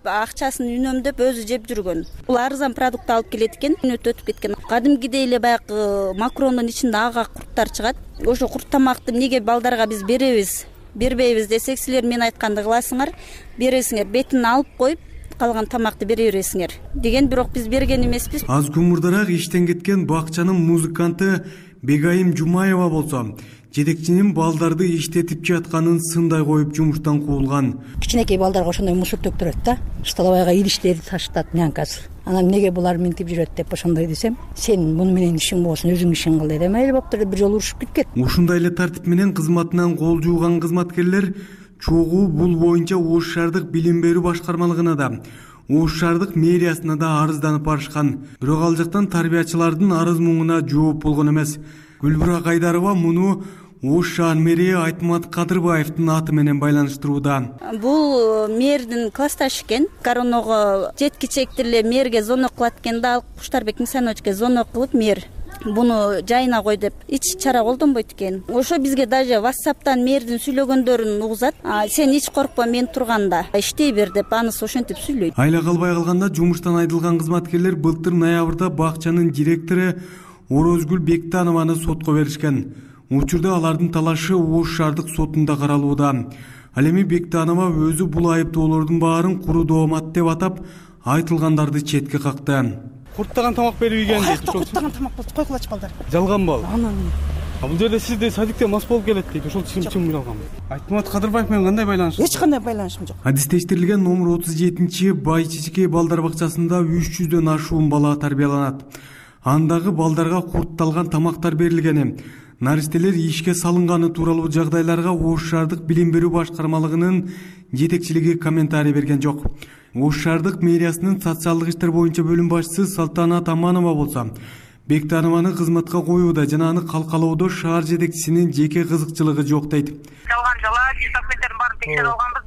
Акчасын үнөмдөп өзү жеп жүргөн. Бул арзан продукт алып келет экен, өтүп өтүп кеткен. Кадимгидей эле баягы макрондун ичинде ага курттар чыгат. Ошо курт тамакты эмнеге балдарга биз беребиз, бербейбиз десек, силер мен айтканды кыласыңар, бересиңер, бетин алып коюп, калган тамакты бере бересиңер деген, бирок биз берген эмеспиз. Аз күн мурдараак иштен кеткен бакчанын музыканты Бегайым Жумаева болсо, жетекчинин балдарды иштетип жатканын сындай коюп жумуштан куулган. Кичинекей балдарга ошондой мусор төктүрөт да, столовойго идиштерди таштат, нянкасы. Анан эмнеге булар минтип жүрөт деп ошондой десем, сен муну менен ишиң болсун, өзүң ишиң кыл деди. Мейли болуптур деп бир жолу урушуп кеткен. Ушундай эле тартип менен кызматынан кол жууган кызматкерлер чогуу бул боюнча Ош шаардык билим берүү башкармалыгына да, Ош шаардык мэриясына да арызданып барышкан. Бирок ал жактан тарбиячылардын арыз муңуна жооп болгон эмес. Гүлбира Кайдарова муну Ош шаар мэри Айтмамат Кадырбаевдин аты менен байланыштырууда. Бул мэрдин классташы экен. Короного жеткичекти эле мэрге звонок кылат экен да, ал Куштарбек Мисановичке звонок кылып, мэр буну жайына кой деп ич чара колдонбойт экен. Ошо бизге даже WhatsApp'тан мэрдин сүйлөгөндөрүн угузат. Сен эч коркпо, мен турганда иштей бер деп анысы ошентип сүйлөйт. Айла калбай калганда жумуштан айдылган кызматкерлер былтыр ноябрда бакчанын директору Орозгүл Бектанованы сотко беришкен. Учурда алардын талашы Ош шаардык сотунда каралууда. Ал эми Бектанова өзү бул айыптоолордун баарын куру доомат деп атап, айтылгандарды четке какты. Курттаган тамак берип ийген дейт. Ошол курттаган тамак болсо койгулачы балдар. Жалган бал. Анан А бул жерде сизде садикте мас болуп келет дейт. Ошол чын чын жалган. Айтмамат Кадырбаев менен кандай байланышыңыз? Эч кандай байланышым жок. Адистештирилген номер отуз жетинчи Бай-Чечекей балдар бакчасында үч жүздөн ашуун бала тарбияланат. Андагы балдарга куртталган тамактар берилгени, наристелер ишке салынганы тууралуу жагдайларга Ош шаардык билим берүү башкармалыгынын жетекчилиги комментарий берген жок. Ош шаардык мэриясынын социалдык иштер боюнча бөлүм башчысы Салтанат Аманова болсо, Бектанованы кызматка коюуда жана аны калкалоодо шаар жетекчисинин жеке кызыкчылыгы жок дейт. Жалган жала документтердин баарын текшерип алганбыз.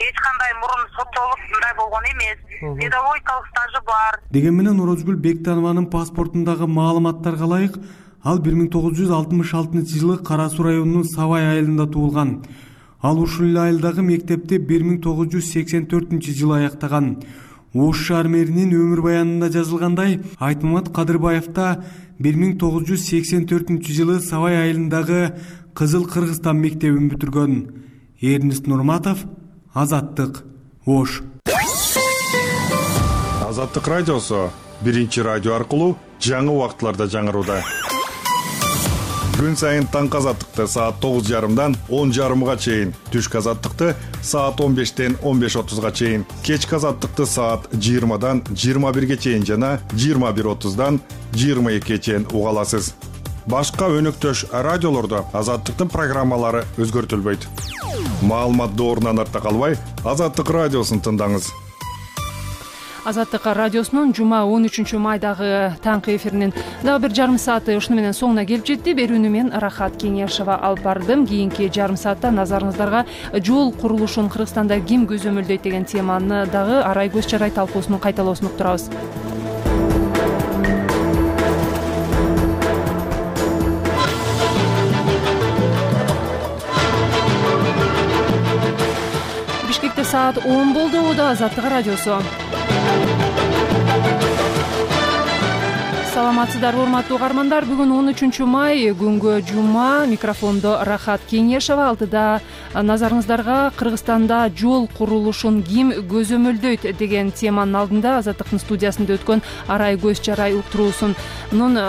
Эч кандай мурун соттолуп мындай болгон эмес. Педагогикалык стажы бар. Деген менен Орозгүл Бектанованын паспортундагы маалыматтарга ылайык, ал бир миң тогуз жүз алтымыш алтынчы жылы Кара Суу районунун Сабай айылында туулган. Ал ушул эле айылдагы мектепти бир миң тогуз жүз сексен төртүнчү жылы аяктаган. Ош шаар мэринин өмүр баянында жазылгандай, Айтмамат Кадырбаев да бир миң тогуз жүз сексен төртүнчү жылы Сабай айылындагы Кызыл Кыргызстан мектебин бүтүргөн. Эрнест Нурматов, Азаттык, Ош. Азаттык радиосу биринчи радио аркылуу жаңы убакытларда жаңырууда. Күн сайын таңкы азаттыкты саат тогуз жарымдан он жарымга чейин, түшкү азаттыкты саат он бештен он беш отузга чейин, кечки азаттыкты саат жыйырмадан жыйырма бирге чейин жана жыйырма бир отуздан жыйырма экиге чейин уга аласыз. Башка өнөктөш радиолордо азаттыктын программалары өзгөртүлбөйт. Маалымат доорунан артта калбай, Азаттык радиосун тыңдаңыз. Азаттык радиосунун жума он үчүнчү майдагы таңкы эфиринин дагы бир жарым сааты ушуну менен соңуна келип жетти. Берүүнү мен Рахат Кеңешова алып бардым. Кийинки жарым саатта назарыңыздарга жол курулушун Кыргызстанда ким көзөмөлдөйт деген теманы дагы арай көз чарай талкуусунун кайталоосун уктурабыз. Бишкекте саат он болду. Да, Азаттык радиосу. Саламатсыздарбы, урматтуу угармандар. Бүгүн он үчүнчү май, күнгө жума. Микрофондо Рахат Кеңешова. Алтыда назарыңыздарга Кыргызстанда жол курулушун ким көзөмөлдөйт деген теманын алдында Азаттыктын студиясында өткөн арай көз чарай уктуруусунун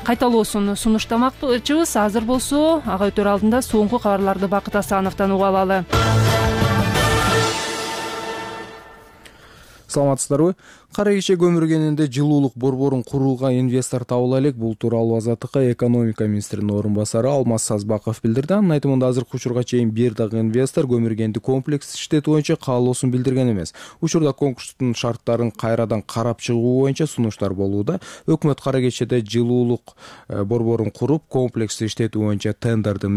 кайталоосун сунуштамакчыбыз. Азыр болсо ага өтөр алдында соңку кабарларды Бакыт Асановдон угуп алалы. Саламатсыздарбы? Кара кече көмүргенинде жылуулук борборун курууга инвестор табыла элек. Бул тууралуу Азаттыкка экономика министринин орун басары Алмаз Сазбаков билдирди. Анын айтымында азыркы учурга чейин бир дагы инвестор көмүргенди комплекс иштетүү боюнча каалоосун билдирген эмес. Учурда конкурстун шарттарын кайрадан карап чыгуу боюнча сунуштар болууда. Өкмөт кара кечеде жылуулук борборун куруп, комплекс иштетүү боюнча тендерди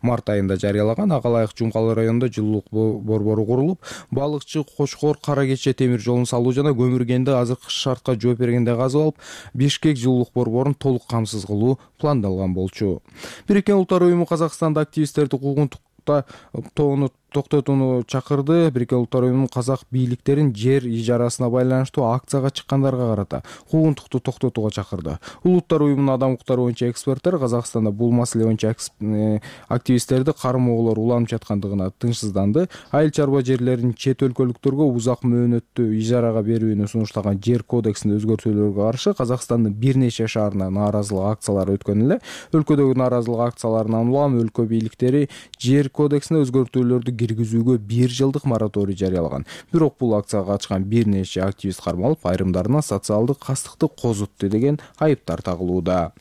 март айында жарыялаган. Ага ылайык Жумкалы районунда жылуулук борбору курулуп, балыкчы, Кочкор, Кара кече темир жолун салуу жана көмүрген азыркы шартка жооп бергенде казып алып, Бишкек жылуулук борборун толук камсыз кылуу пландалган болчу. Бириккен Улуттар уюму Казакстанда активисттерди куугунтукта тоону токтотууну чакырды. Бириккен Улуттар уюмунун казак бийликтерин жер ижарасына байланыштуу акцияга чыккандарга карата куугунтукту токтотууга чакырды. Улуттар уюмунун адам укуктары боюнча эксперттер Казакстанда бул маселе боюнча активисттерди кармоолор уланып жаткандыгына тынчсызданды. Айыл чарба жерлерин чет өлкөлүктөргө узак мөөнөттүү ижарага берүүнү сунуштаган жер кодексинде өзгөртүүлөргө каршы Казакстандын бир нече шаарында нааразылык акциялары өткөн эле. Өлкөдөгү нааразылык акцияларынан улам өлкө бийликтери жер кодексине өзгөртүүлөрдү киргизүүгө бир жылдык мораторий жарыялаган. Бирок бул акцияга катышкан бир нече активист кармалып, айрымдарына социалдык кастыкты козутту деген айыптар тагылууда.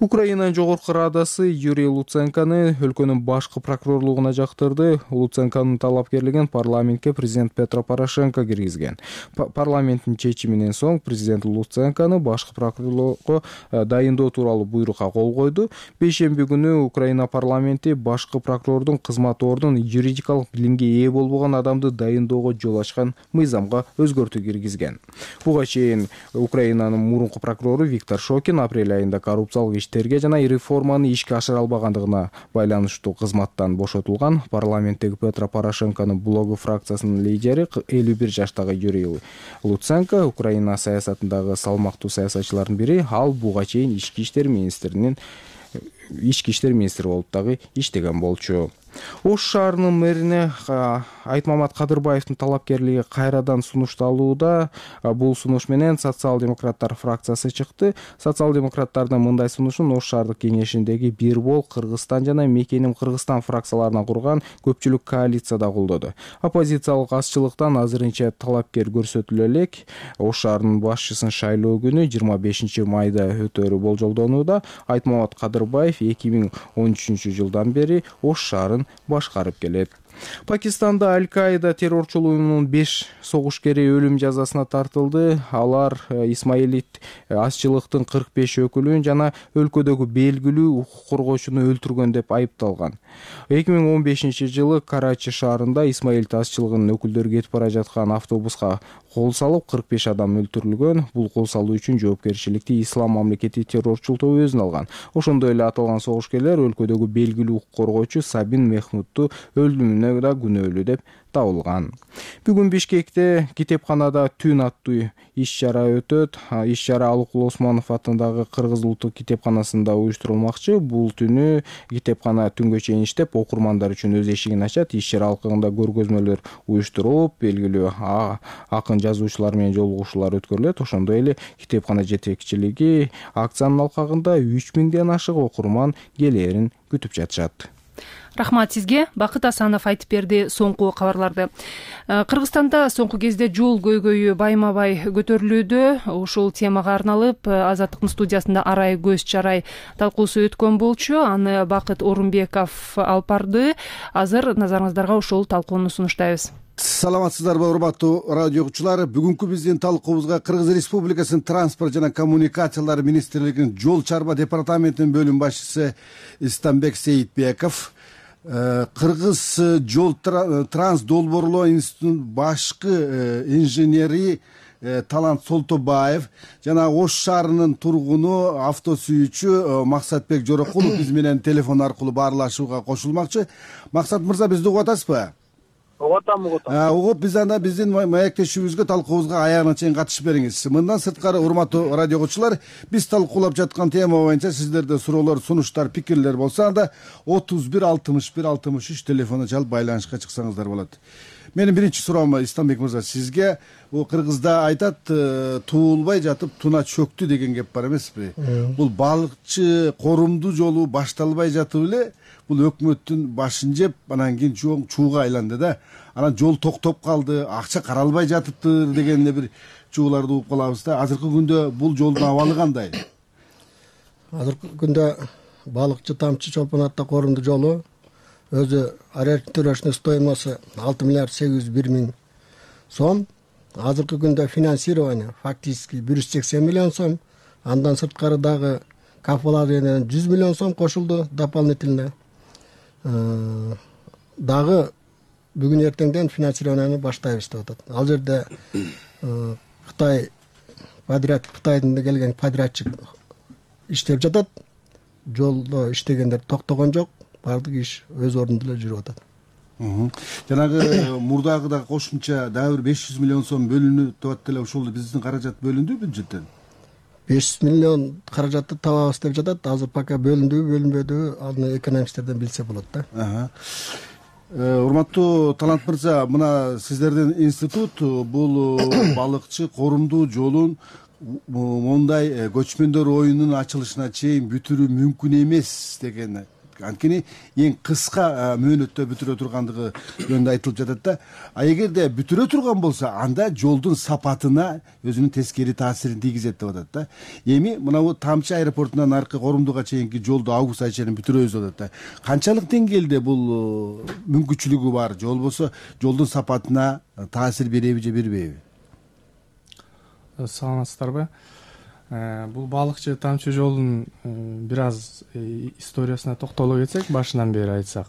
Украинанын жогорку радасы Юрий Луценкону өлкөнүн башкы прокурорлугуна жактырды. Луценконун талапкерлигин парламентке президент Петро Порошенко киргизген. Парламенттин чечиминен соң президент Луценкону башкы прокурорлукка дайындоо тууралуу буйрукка кол койду. Бейшемби күнү Украина парламенти башкы прокурордун кызмат ордун юридикалык билимге ээ болбогон адамды дайындоого жол ачкан мыйзамга өзгөртүү киргизген. Буга чейин Украинанын мурунку прокурору Виктор Шокин апрель айында коррупциялык иштерге жана реформаны ишке ашыра албагандыгына байланыштуу кызматтан бошотулган. Парламенттеги Петро Порошенконун блогу фракциясынын лидери элүү бир жаштагы Юрий Луценко Украина саясатындагы салмактуу саясатчылардын бири. Ал буга чейин ички иштер министринин ички иштер министри болуп дагы иштеген болчу. Ош шаарынын мэрине Айтмамат Кадырбаевдин талапкерлиги кайрадан сунушталууда. Бул сунуш менен социал-демократтар фракциясы чыкты. Социал-демократтардын мындай сунушун Ош шаардык кеңешиндеги Бир бол, Кыргызстан жана Мекеним Кыргызстан фракцияларынан курган көпчүлүк коалицияда колдоду. Оппозициялык азчылыктан азырынча талапкер көрсөтүлө элек. Ош шаарынын башчысын шайлоо күнү жыйырма бешинчи майда өтөрү болжолдонууда. Айтмамат Кадырбаев эки миң он үчүнчү жылдан бери Ош шаарын башкарып келет. Пакистанда Аль-Каида террорчул уюмунун беш согушкери өлүм жазасына тартылды. Алар Исмаилит азчылыктын кырк беш өкүлүн жана өлкөдөгү белгилүү укук коргоочуну өлтүргөн деп айыпталган. эки миң он бешинчи жылы Карачи шаарында Исмаилит азчылыгынын өкүлдөрү кетип бара жаткан автобуска кол салып кырк беш адам өлтүрүлгөн. Бул кол салуу үчүн жоопкерчиликти Ислам мамлекети террорчул тобу өзүнө алган. Ошондой эле аталган согушкерлер өлкөдөгү белгилүү укук коргоочу Сабин Мехмудту өлүмүнө да күнөөлүү деп табылган. Бүгүн Бишкекте китепканада түн аттуу иш-чара өтөт. Иш-чара Алыкул Осмонов атындагы Кыргыз улуттук китепканасында уюштурулмакчы. Бул түнү китепкана түнгө чейин иштеп, окурмандар үчүн өз эшигин ачат. Иш-чара алкагында көргөзмөлөр уюштурулуп, белгилүү акын жазуучулар менен жолугушуулар өткөрүлөт. Ошондой эле китепкана жетекчилиги акциянын алкагында үч миңден ашык окурман келээрин күтүп жатышат. Рахмат сизге. Бакыт Асанов айтып берди соңку кабарларды. Кыргызстанда соңку кезде жол көйгөйү байма-бай көтөрүлүүдө. Ушул темага арналып Азаттыктын студиясында арай көз чарай талкуусу өткөн болчу. Аны Бакыт Орунбеков алып барды. Азыр назарыңыздарга ушул талкууну сунуштайбыз. Саламатсыздарбы, урматтуу радио окуучулар. Бүгүнкү биздин талкуубузга Кыргыз Республикасынын транспорт жана коммуникациялар министрлигинин жол чарба департаментинин бөлүм башчысы Истамбек Сейитбеков, Кыргыз жол транс долбоорлоо институтунун башкы инженери Талант Солтобаев жана Ош шаарынын тургуну автосүйүүчү Максатбек Жорокулов биз менен телефон аркылуу баарлашууга кошулмакчы. Максат мырза, бизди угуп атасызбы? Угуп атам, угуп атам. Угуп, биз анда биздин маектешүүбүзгө, талкуубузга аягына чейин катышып бериңиз. Мындан сырткары, урматтуу радио окуучулар, биз талкуулап жаткан тема боюнча сиздерде суроолор, сунуштар, пикирлер болсо, анда отуз бир алтымыш бир алтымыш үч телефону чалып байланышка чыксаңыздар болот. Менин биринчи суроом Истамбек мырза сизге. Бул Кыргызда айтат, туулбай жатып туна чөктү деген кеп бар эмеспи? Бул балыкчы корумдуу жолу башталбай жатып эле бул өкмөттүн башын жеп, анан кийин чоң чууга айланды да. Анан жол токтоп калды, акча каралбай жатыптыр деген эле бир чууларды угуп калабыз да. Азыркы күндө бул жолдун абалы кандай? Азыркы күндө балыкчы тамчы чолпонатта корумдуу жолу өзү ориентировочный стоимосу алты миллиард сегиз жүз бир миң сом. Азыркы күндө финансирование фактически бир жүз сексен миллион сом. Андан сырткары дагы капиталден жүз миллион сом кошулду дополнительно. Дагы бүгүн эртеңден финансированияны баштайбыз деп атат. Ал жерде Кытай подряд Кытайдан келген подрядчик иштеп жатат. Жолдо иштегендер токтогон жок. Бардык иш өз ордунда эле жүрүп атат. Жанагы мурдагыда кошумча дагы бир беш жүз миллион сом бөлүнүп атат эле, ошол биздин каражат бөлүндү бюджеттен. беш жүз миллион каражатты табабыз деп жатат. Азыр пока бөлүндүбү, бөлүнбөдүбү, аны экономисттерден билсе болот да. Урматтуу Талант мырза, мына сиздердин институт бул балыкчы корумдуу жолун мондай көчмөндөр оюнунун ачылышына чейин бүтүрүү мүмкүн эмес деген, анткени эң кыска мөөнөттө бүтүрө тургандыгы жөнүндө айтылып жатат да. А эгерде бүтүрө турган болсо, анда жолдун сапатына өзүнүн тескери таасирин тийгизет деп атат да. Эми мына бул Тамчы аэропортунан аркы корумдуга чейинки жолду август ай чейин бүтүрөбүз деп атат да. Канчалык деңгээлде бул мүмкүнчүлүгү бар? Жол болсо, жолдун сапатына таасир береби же бербейби? Саламатсыздарбы? Бул балыкчы тамчы жолдун бир аз историясына токтоло кетсек, башынан бери айтсак.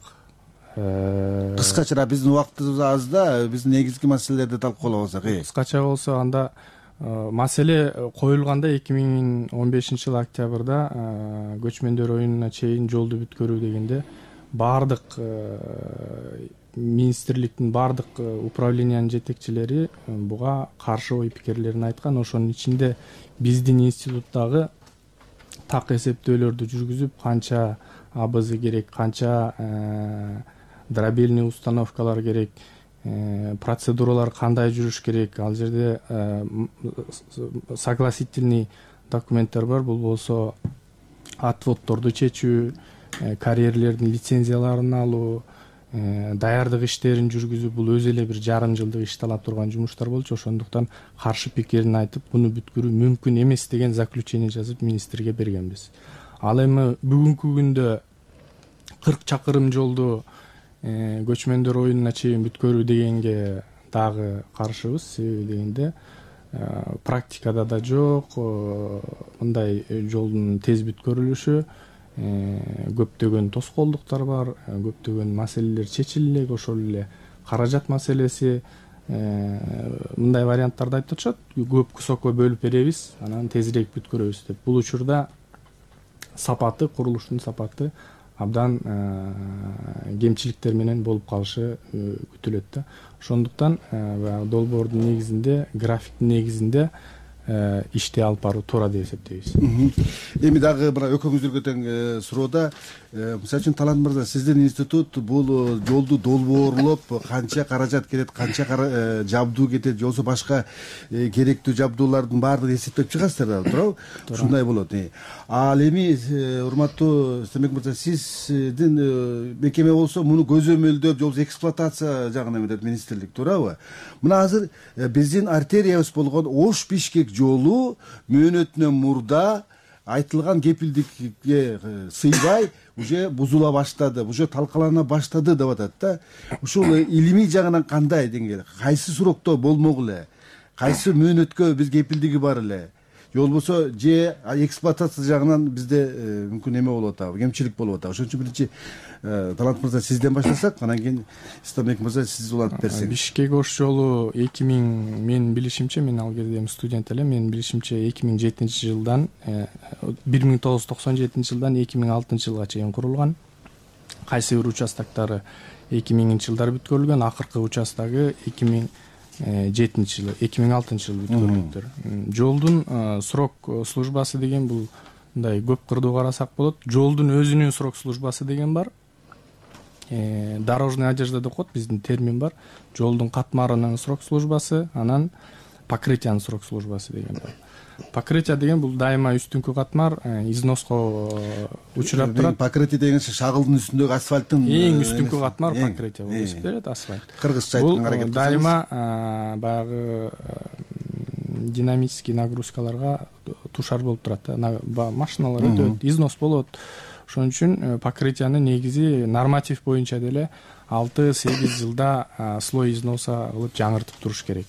Кыскача, биздин убактыбыз аз да, биз негизги маселелерди талкуулап алсак. Кыскача болсо, анда маселе коюлганда эки миң он бешинчи жылы октябрда көчмөндөр оюнуна чейин жолду бүткөрүү дегенде баардык министрликтин баардык управлениянын жетекчилери буга каршы ой пикирлерин айткан. Ошонун ичинде биздин институттагы так эсептөөлөрдү жүргүзүп, канча абыз керек, канча дробельный установкалар керек, процедуралар кандай жүрүш керек, ал жерде согласительный документтер бар. Бул болсо отводдорду чечүү, карьерлердин лицензияларын алуу, даярдык иштерин жүргүзүү, бул өзү эле бир жарым жылдык иш талап турган жумуштар болчу. Ошондуктан каршы пикирин айтып, буну бүткөрүү мүмкүн эмес деген заключение жазып министрге бергенбиз. Ал эми бүгүнкү күндө кырк чакырым жолду көчмөндөр оюнуна чейин бүткөрүү дегенге дагы каршыбыз. Себеби дегенде практикада да жок мындай жолдун тез бүткөрүлүшү, көптөгөн тоскоолдуктар бар, көптөгөн маселелер чечиле элек, ошол эле каражат маселеси, мындай варианттарды айтып атышат. Көп кусокко бөлүп беребиз, анан тезирээк бүткөрөбүз деп. Бул учурда сапаты, курулуштун сапаты абдан кемчиликтер менен болуп калышы күтүлөт да. Ошондуктан долбоордун негизинде, графиктин негизинде иштей алып баруу туура деп эсептейбиз. Эми дагы мына экөөңүздөргө тең суроода, мисалы үчүн Талант мырза, сиздин институт бул жолду долбоорлоп, канча каражат кетет, канча жабдуу кетет, же болбосо башка керектүү жабдуулардын баардыгын эсептеп чыгасыздар да, туурабы? Ушундай болот. Ал эми урматтуу Стенбек мырза, сиздин мекеме болсо муну көзөмөлдөп, же болбосо эксплуатация жагына эмедет министрлик, туурабы? Мына азыр биздин артериябыз болгон Ош-Бишкек жолу мөөнөтүнөн мурда айтылган кепилдикке сыйбай уже бузула баштады, уже талкалана баштады деп атат да. Ушул илимий жагынан кандай деңгээл, кайсы сурокто болмок эле, кайсы мөөнөткө биз кепилдиги бар эле, же болбосо же эксплуатация жагынан бизде мүмкүн эме болуп атабы, кемчилик болуп атабы. Ошон үчүн биринчи Талант мырза сизден баштасак, анан кийин Стенбек мырза сиз улантып берсеңиз. Бишкек Ош жолу эки миң, менин билишимче, мен ал кезде студент элем, менин билишимче эки миң жетинчи жылдан бир миң тогуз жүз токсон жетинчи жылдан эки миң алтынчы жылга чейин курулган. Кайсы бир участоктары эки миңинчи жылдары бүткөрүлгөн, акыркы участогу эки миң жетинчи жыл, эки миң алтынчы жылы бүткөрүлгөндөр. Жолдун срок службасы деген бул мындай көп кырдуу карасак болот. Жолдун өзүнүн срок службасы деген бар. Дорожная одежда деп коет, биздин термин бар. Жолдун катмарынын срок службасы, анан покрытиянын срок службасы деген бар. Покрытие деген бул дайыма үстүнкү катмар износко учурап турат. Покрытие деген шагылдын үстүндөгү асфальттын эң үстүнкү катмар покрытие болуп эсептелет, асфальт. Кыргызча айтканга аракет кылсаңыз. Дайыма баягы динамический нагрузкаларга тушар болуп турат да. Машиналар өтөт, износ болот. Ошон үчүн покрытияны негизи норматив боюнча деле алты сегиз жылда слой износа кылып жаңыртып туруш керек.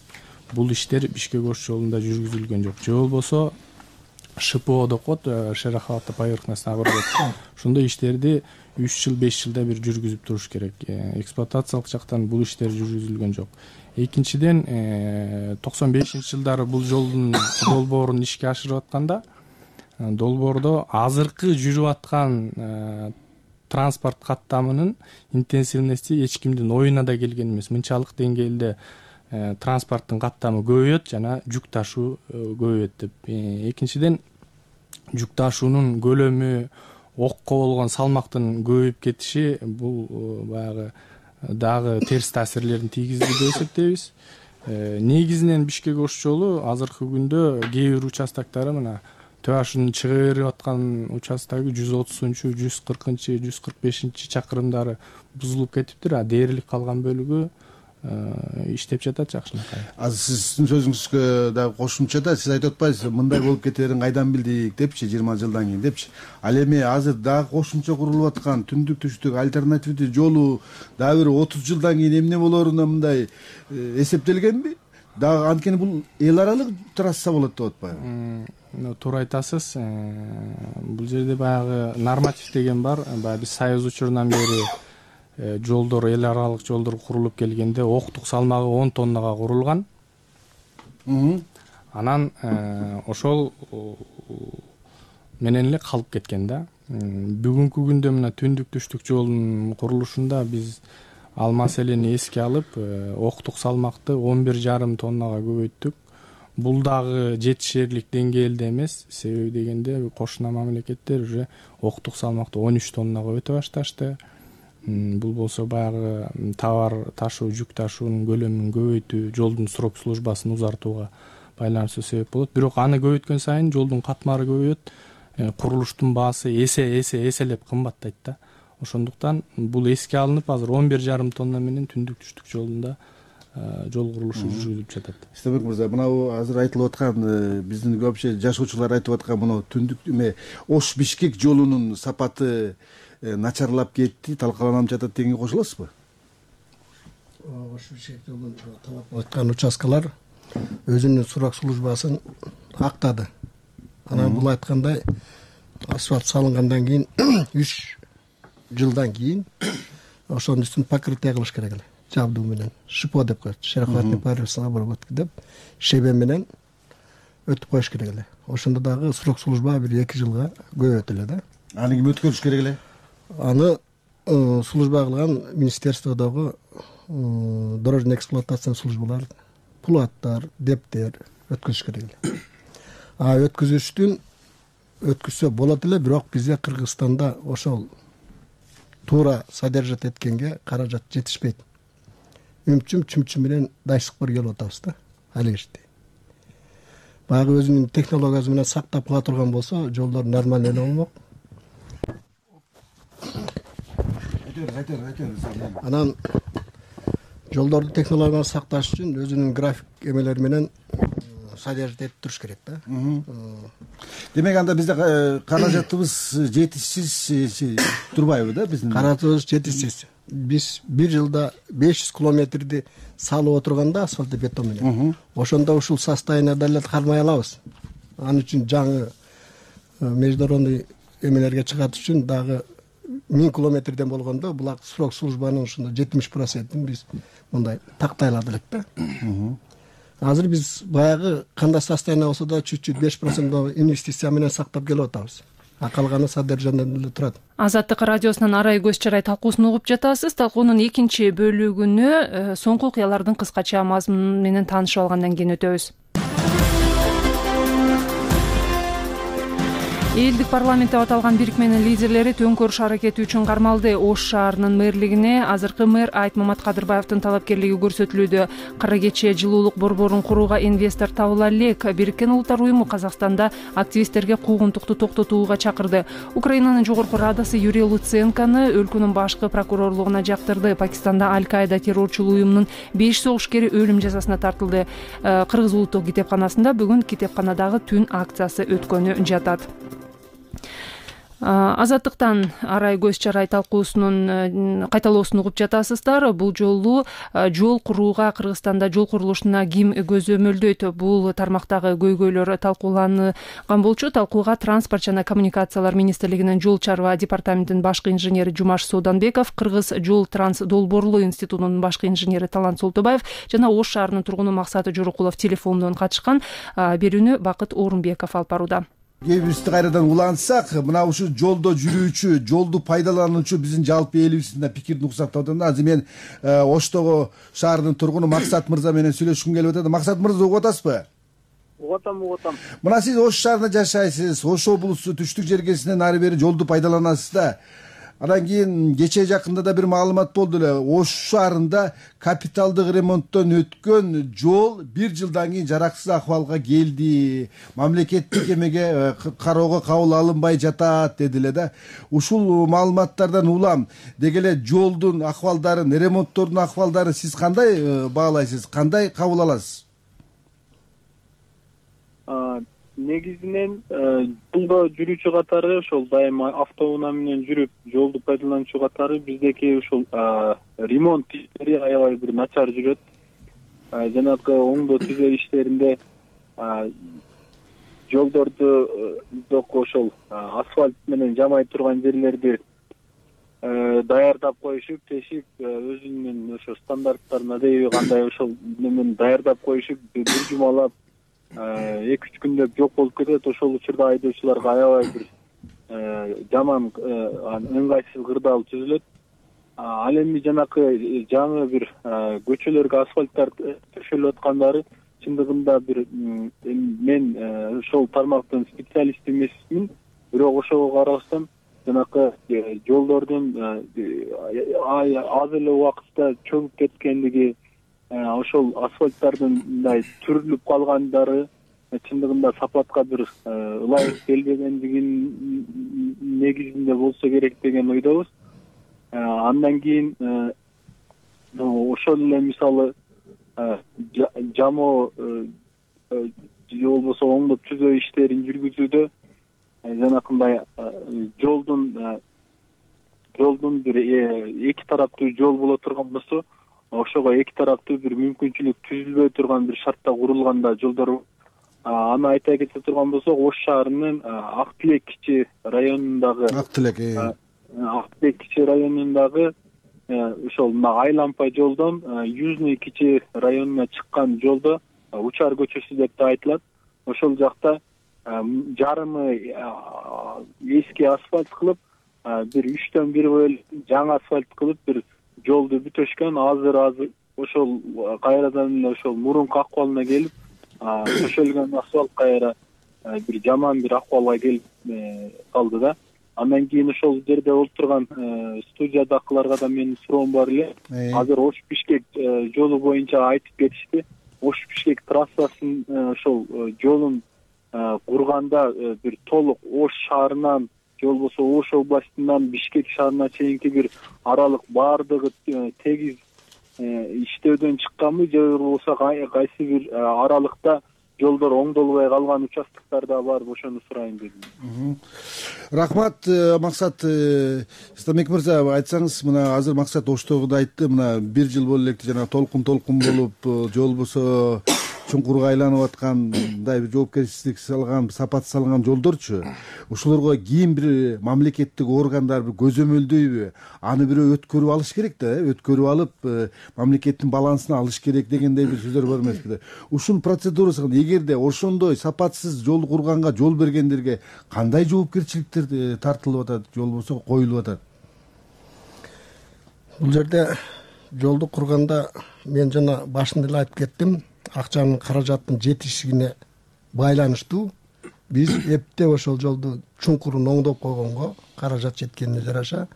Бул иштер Бишкек Ош жолунда жүргүзүлгөн жок. Же болбосо ШПО деп коет, шероховато-поверхностный обработка. Ошондой иштерди үч жыл, беш жылда бир жүргүзүп туруш керек. Эксплуатациялык жактан бул иштер жүргүзүлгөн жок. Экинчиден, токсон бешинчи жылдары бул жолдун долбоорун ишке ашырып атканда, долбоордо азыркы жүрүп аткан транспорт каттамынын интенсивности эч кимдин оюна да келген эмес. Мынчалык деңгээлде транспорттун каттамы көбөйөт жана жүк ташуу көбөйөт деп. Экинчиден, жүк ташуунун көлөмү, окко болгон салмактын көбөйүп кетиши бул баягы дагы терс таасирлерин тийгизди деп эсептейбиз. Негизинен Бишкек Ош жолу азыркы күндө кээ бир участоктары мына Төашынын чыга берип аткан участогу жүз отузунчу, жүз кыркынчы, жүз кырк бешинчи чакырымдары бузулуп кетиптир, а дээрлик калган бөлүгү иштеп жатат жакшынакай. Азыр сиздин сөзүңүзгө дагы кошумчада сиз айтып атпайсызбы, мындай болуп кетерин кайдан билдик депчи, жыйырма жылдан кийин депчи. Ал эми азыр дагы кошумча курулуп аткан түндүк түштүк альтернативдүү жолу дагы бир отуз жылдан кийин эмне болоруна мындай эсептелгенби? Дагы анткени бул эл аралык трасса болот деп атпайбы? Туура айтасыз. Бул жерде баягы норматив деген бар. Баягы биз Союз учурунан бери жолдор, эл аралык жолдор курулуп келгенде октук салмагы он тоннага курулган. Анан ошол менен эле калып кеткен да. Бүгүнкү күндө мына түндүк түштүк жолдун курулушунда биз ал маселени эске алып, октук салмакты он бир жарым тоннага көбөйттүк. Бул дагы жетишерлик деңгээлде эмес. Себеби дегенде кошуна мамлекеттер уже октук салмакты он үч тоннага өтө башташты. Бул болсо баягы товар ташуу, жүк ташуунун көлөмүн көбөйтүү, жолдун срок службасын узартууга байланыштуу себеп болот. Бирок аны көбөйткөн сайын жолдун катмары көбөйөт, курулуштун баасы эсе эсе эселеп кымбаттайт да. Ошондуктан бул эске алынып, азыр он бир жарым тонна менен түндүк түштүк жолунда жол курулушу жүргүзүлүп жатат. Стенбек мырза, мына азыр айтылып аткан, биздин көпчө жашоочулар айтып аткан мына түндүк эме Ош-Бишкек жолунун сапаты начарлап кетти, талкаланып жатат дегенге кошуласызбы? ошол шектелген талап айткан участкалар өзүнүн сурак службасын актады. Анан бул айткандай асфальт салынгандан кийин үч жылдан кийин ошонун үстүн покрытие кылыш керек эле. Жабдуу менен шипо деп коет, шерохватный парусная обработка деп шебе менен өтүп коюш керек эле. Ошондо дагы срок служба бир эки жылга көбөйөт эле да. Аны ким өткөрүш керек эле? Аны служба кылган министерстводогу дорожный эксплуатация службалар, пулаттар, дептер өткөзүш керек эле. А өткөзүштүн өткөзсө болот эле, бирок бизде Кыргызстанда ошол туура содержать эткенге каражат жетишпейт. Үмчүм чүмчүм менен дайсыкпыр келип атабыз да ал кезде. Баягы өзүнүн технологиясы менен сактап кала турган болсо, жолдор нормально эле болмок. Анан жолдорду технологияны сакташ үчүн өзүнүн график эмелери менен содержать этип туруш керек да. Демек анда бизде каражатыбыз жетишсиз турбайбы да биздин? Каражатыбыз жетишсиз. Биз бир жылда беш жүз километрди салып отурганда асфальт бетон менен. Ошондо ушул состояниеде эле кармай алабыз. Ал үчүн жаңы международный эмелерге чыгат үчүн дагы миң километрден болгондо булак срок службанын ушунда жетимиш процентин биз мындай тактай алат элек да. Азыр биз баягы кандай состояние болсо да чуть-чуть беш процент инвестиция менен сактап келип атабыз. А калганы содержаниеден эле турат. Азаттык радиосунун арай көз чарай талкуусун угуп жатасыз. Талкуунун экинчи бөлүгүнө соңку окуялардын кыскача мазмуну менен таанышып алгандан кийин өтөбүз. Элдик парламент деп аталган бирикменин лидерлери төңкөрүш аракети үчүн кармалды. Ош шаарынын мэрлигине азыркы мэр Айтмамат Кадырбаевдин талапкерлиги көрсөтүлүүдө. Кара кече жылуулук борборун курууга инвестор табыла элек. Бириккен Улуттар уюму Казакстанда активисттерге куугунтукту токтотууга чакырды. Украинанын жогорку радасы Юрий Луценкону өлкөнүн башкы прокурорлугуна жактырды. Пакистанда Аль-Каида террорчулуу уюмунун беш согушкери өлүм жазасына тартылды. Кыргыз улуттук китепканасында бүгүн китепканадагы түн акциясы өткөнү жатат. Азаттыктан арай көз чарай талкуусунун кайталоосун угуп жатасыздар. Бул жолу жол курууга Кыргызстанда жол курулушуна ким көзөмөлдөйт? Бул тармактагы көйгөйлөр талкууланган болчу. Талкууга Транспорт жана коммуникациялар министрлигинин жол чарба департаментинин башкы инженери Жумаш Сооданбеков, Кыргыз жол транс долбоорлоо институтунун башкы инженери Талант Солтобаев жана Ош шаарынын тургуну Максат Жорокулов телефондон катышкан. Берүүнү Бакыт Орунбеков алып барууда. Кээ бирибизди кайрадан улантсак, мына ушу жолдо жүрүүчү, жолду пайдалануучу биздин жалпы элибиздин пикирин уксак деп атам да. Азыр мен Оштогу шаарынын тургуну Максат мырза менен сүйлөшкүм келип атат. Максат мырза, угуп атасызбы? Угуп атам, угуп атам. Мына сиз Ош шаарында жашайсыз, Ош облусу түштүк жергесинен ары бери жолду пайдаланасыз да. Анан кийин кечээ жакында да бир маалымат болду эле. Ош шаарында капиталдык ремонттон өткөн жол бир жылдан кийин жараксыз акыбалга келди. Мамлекеттик эмеге кароого кабыл алынбай жатат деди эле да. Ушул маалыматтардан улам деги эле жолдун акыбалдарын, ремонттордун акыбалдарын сиз кандай баалайсыз? Кандай кабыл аласыз? Негизинен жолдо жүрүүчү катары ошол дайыма автоунаа менен жүрүп жолду пайдалануучу катары биздеки ушул ремонт иштери аябай бир начар жүрөт. Жанагы оңдоо түзөө иштеринде жолдорду ошол асфальт менен жамай турган жерлерди даярдап коюшуп, тешип өзүнүн ошо стандарттарын адеби кандай ошол менен даярдап коюшуп, бир жумалап эки үч күндөп жок болуп кетет. Ошол учурда айдоочуларга аябай бир жаман ыңгайсыз кырдаал түзүлөт. Ал эми жанакы жаңы бир көчөлөргө асфальттар төшөлүп аткандары чындыгында бир мен ошол тармактын специалисти эмесмин, бирок ошого карабастан жанакы жолдордун аз эле убакытта чөгүп кеткендиги, ошол асфальттардын мындай түрүлүп калгандары чындыгында сапатка бир ылайык келбегендигинин негизинде болсо керек деген ойдобуз. Андан кийин ошол эле мисалы жамоо же болбосо оңдоп түзөө иштерин жүргүзүүдө жанакындай жолдун жолдун бир эки тараптуу жол боло турган болсо, ошого эки тараптуу бир мүмкүнчүлүк түзүлбөй турган бир шартта курулганда жолдор. Аны айта кете турган болсок, Ош шаарынын Ак Тилек кичи районундагы Ак Тилек Ак Тилек кичи районундагы ошол мына Айлампа жолдон Южный кичи районуна чыккан жолдо Учар көчөсү деп да айтылат. Ошол жакта жарымы эски асфальт кылып, бир үчтөн бир бөлүк жаңы асфальт кылып бир жолду бүтөшкөн. Азыр азыр ошол кайрадан эле ошол мурунку акыбалына келип, төшөлгөн асфальт кайра бир жаман бир акыбалга келип калды да. Андан кийин ошол жерде олтурган студиядагыларга да менин суроом бар эле. Азыр Ош Бишкек жолу боюнча айтып кетишти. Ош Бишкек трассасын ошол жолун курганда бир толук Ош шаарынан же болбосо Ош областынан Бишкек шаарына чейинки бир аралык баардыгы тегиз иштөөдөн чыкканбы, же болбосо кайсы бир аралыкта жолдор оңдолбой калган участоктор да барбы, ошону сурайын дедим. Рахмат, Максат. Стамек мырза, айтсаңыз, мына азыр Максат Оштогу да айтты, мына бир жыл боло электи, жана толкун толкун болуп, жол болсо чуңкурга айланып аткандай бир жоопкерчилик салган, сапат салган жолдорчу. Ошолорго кийин бир мамлекеттик органдар бир көзөмөлдөйбү? Аны бирөө өткөрүп алыш керек да, өткөрүп алып, мамлекеттин балансына алыш керек дегендей бир сөздөр бар эмеспи? Ушул процедурасы эгерде ошондой сапатсыз жол курганга жол бергендерге кандай жоопкерчиликтер тартылып атат, же болбосо коюлуп атат? Бул жерде жолду курганда мен жана башында эле айтып кеттим, акчанын каражаттын жетишигине байланыштуу биз эптеп ошол жолду чуңкурун оңдоп койгонго каражат жеткенине жараша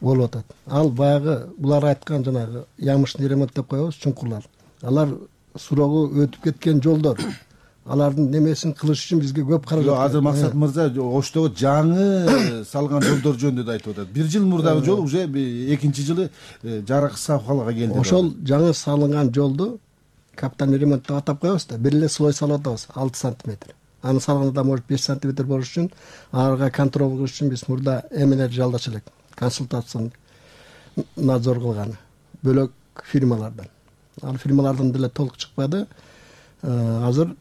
болуп атат. Ал баягы булар айткан жанагы ямышный ремонт деп коебуз, чуңкурлар. Алар сурогу өтүп кеткен жолдор. Алардын немесин кылыш үчүн бизге көп каражат. Азыр Максат мырза Оштогу жаңы салган жолдор жөнүндө да айтып атат. Бир жыл мурдагы жол уже экинчи жылы жараксыз абалга келди. Ошол жаңы салынган жолду капитальный ремонт деп атап коебуз да, бир эле слой салып атабыз, алты сантиметр. Аны салганда может беш сантиметр болуш үчүн, аларга контроль кылыш үчүн биз мурда эмелер жалдач элек, консультацион надзор кылган бөлөк фирмалардан. Ал фирмалардан деле толук чыкпады. Азыр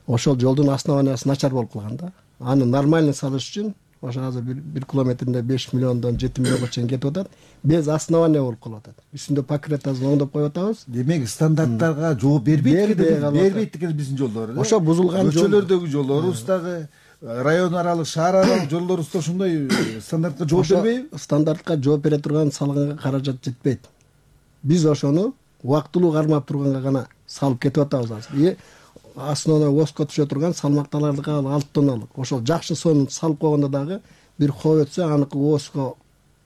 ошол жолдун основаниясы начар болуп калган да. Аны нормально салыш үчүн ошо азыр бир километринде беш миллиондон жети миллионго чейин кетип атат. Без основания болуп калып атат. Үстүндө покрытиясын оңдоп коюп атабыз. Демек стандарттарга жооп бербейт, бербейт экен биздин жолдор. Ошо бузулган көчөлөрдөгү жолдорубуз дагы, район аралык, шаар аралык жолдорубуз да ошондой стандартка жооп бербейби? Стандартка жооп бере турган салганга каражат жетпейт. Биз ошону убактылуу кармап турганга гана салып кетип атабыз азыр. Основной воска түшө турган салмакталардык алты тонналык. Ошол жакшы сонун салып койгондо дагы бир коо өтсө, аныкы воска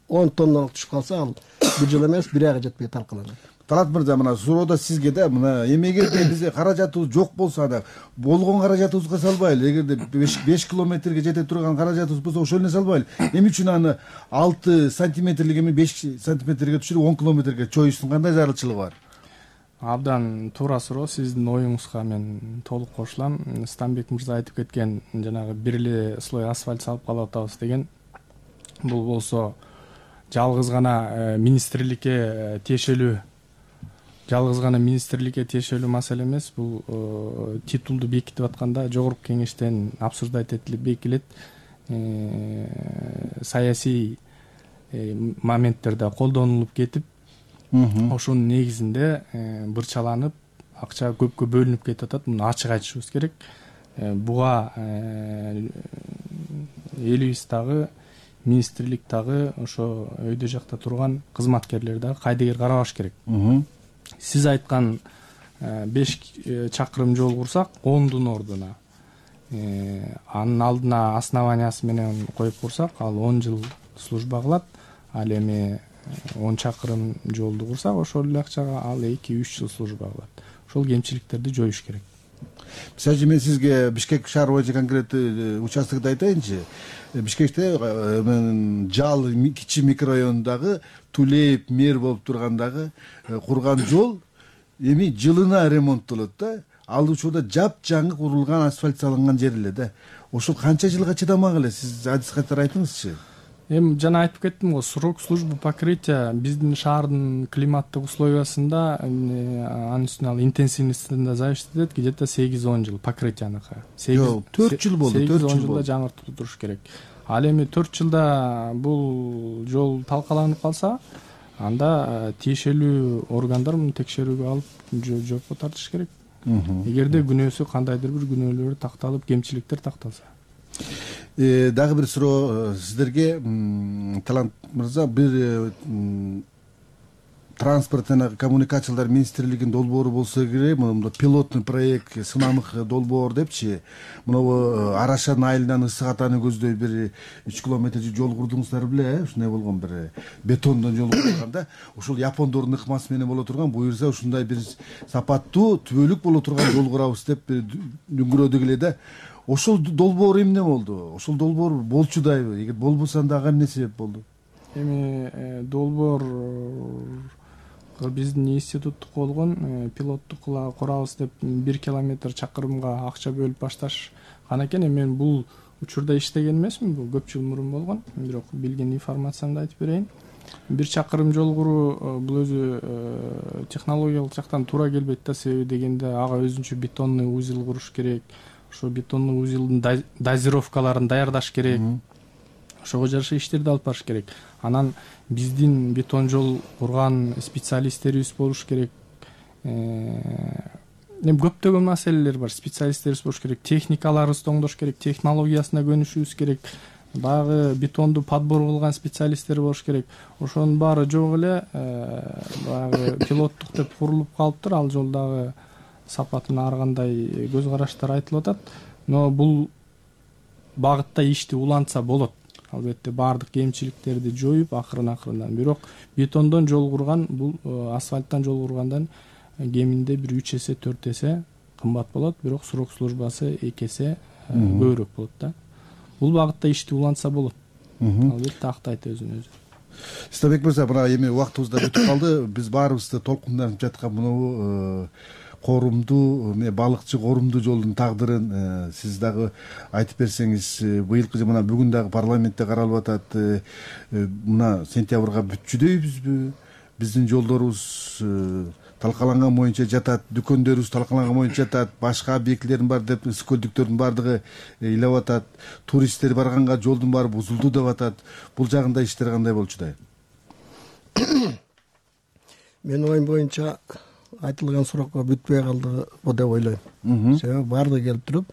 он тонналык түшүп калса, ал бир жыл эмес, бир айга жетпей талкаланат. Талат мырза, мына суроо сизге да, мына эмегерде бизде каражатыбыз жок болсо, анда болгон каражатыбызга салбайлы. Эгерде беш километрге жете турган каражатыбыз болсо, ошол эле салбайлы. Эмне үчүн аны алты сантиметрлик эми беш сантиметрге түшүрүп он километрге чоюштун кандай зарылчылыгы бар? Абдан туура суроо, сиздин оюңузга мен толук кошулам. Стамбек мырза айтып кеткен, жанагы бир эле слой асфальт салып калып атабыз деген, бул болсо жалгыз гана министрликке тиешелүү жалгыз гана министрликке тиешелүү маселе эмес. Бул титулду бекитип атканда жогорку кеңештен обсуждать этилип бекитилет. Саясий моменттерде колдонулуп кетип, ошонун негизинде бырчаланып, акча көпкө бөлүнүп кетип атат. Муну ачык айтышыбыз керек. Буга элибиз дагы, министрлик дагы, ошо өйдө жакта турган кызматкерлер дагы кайдыгер карабаш керек. Сиз айткан беш чакырым жол курсак, ондун ордуна анын алдына основаниясы менен коюп курсак, ал он жыл служба кылат. Ал эми он чакырым жолду курсак, ошол эле акчага ал эки үч жыл служба кылат. Ошол кемчиликтерди жоюш керек. Мисалы үчүн мен сизге Бишкек шаар боюнча конкреттүү участокду айтайынчы. Бишкекте Жал кичи микрорайонундагы Тулеев мэр болуп тургандагы курган жол эми жылына ремонттолот да. Ал учурда жапжаңы курулган асфальт салынган жер эле да. Ошол канча жылга чыдамак эле? Сиз адис катары айтыңызчы. эми жана айтып кеттим го, срок службы покрытия биздин шаардын климаттык условиясында анын үстүнө ал интенсивностьтен зависит этет, где то сегиз он жыл покрытияныкы. Жок, төрт жыл болду, төрт жыл сегиз он жылда жаңыртып туруш керек. Ал эми төрт жылда бул жол талкаланып калса, анда тиешелүү органдар муну текшерүүгө алып жоопко тартыш керек. Эгерде күнөөсү кандайдыр бир күнөөлөр такталып, кемчиликтер такталса. Дагы бир суроо сиздерге, Талант мырза, бир транспорт жана коммуникациялар министрлигинин долбоору болсо керек, мына пилотный проект, сынамык долбоор депчи, мына Арашан айылынан Ысык Атаны көздөй бир үч километр жол курдуңуздар беле, ушундай болгон бир бетондон жол курганда, ушул япондордун ыкмасы менен боло турган, буюрса ушундай бир сапаттуу, түбөлүк боло турган жол курабыз деп дүңгүрөдүк эле да. Ошол долбоор эмне болду? Ошол долбоор болчудайбы? Эгер болбосо анда ага эмне себеп болду? Эми долбоор биздин институттук болгон, пилоттук курабыз деп бир километр чакырымга акча бөлүп башташкан экен. Мен бул учурда иштеген эмесмин, бул көп жыл мурун болгон. Бирок билген информациямды айтып берейин. Бир чакырым жол куруу бул өзү технологиялык жактан туура келбейт да, себеби дегенде ага өзүнчө бетонный узел куруш керек. Ошо бетонный узелдин дозировкаларын даярдаш керек. Ошого жараша иштерди алып барыш керек. Анан биздин бетон жол курган специалисттерибиз болуш керек. Эми көптөгөн маселелер бар. Специалисттерибиз болуш керек, техникаларыбызды оңдош керек, технологиясына көнүшүбүз керек. Баягы бетонду подбор кылган специалисттер болуш керек. Ошонун баары жок эле, баягы пилоттук деп курулуп калыптыр. Ал жолдагы сапатына ар кандай көз караштар айтылып атат. Но бул багытта ишти улантса болот. Албетте баардык кемчиликтерди жоюп, акырын-акырындан. Бирок бетондон жол курган, бул асфальттан жол кургандан кеминде бир үч эсе, төрт эсе кымбат болот, бирок срок службасы эки эсе көбүрөөк болот да. Бул багытта ишти улантса болот. Албетте актайт өзүн өзү. Стабек мырза, мына эми убактыбыз да өтүп калды. Биз баарыбызды толкунданып жаткан мынабу коорумдуу, балыкчы коорумдуу жолдун тагдырын сиз дагы айтып берсеңиз. Быйылкы мына бүгүн дагы парламентте каралып атат. Мына сентябрга бүтчүдөйбүзбү? Биздин жолдорубуз талкаланган боюнча жатат, дүкөндөрүбүз талкаланган боюнча жатат, башка объектилердин бар деп ысык көлдүктөрдүн баардыгы ыйлап атат, туристтер барганга жолдун баары бузулду деп атат. Бул жагында иштер кандай болчудай? Менин оюм боюнча айтылган суракка бүтпөй калды деп ойлойм. Себеби баардыгы келип туруп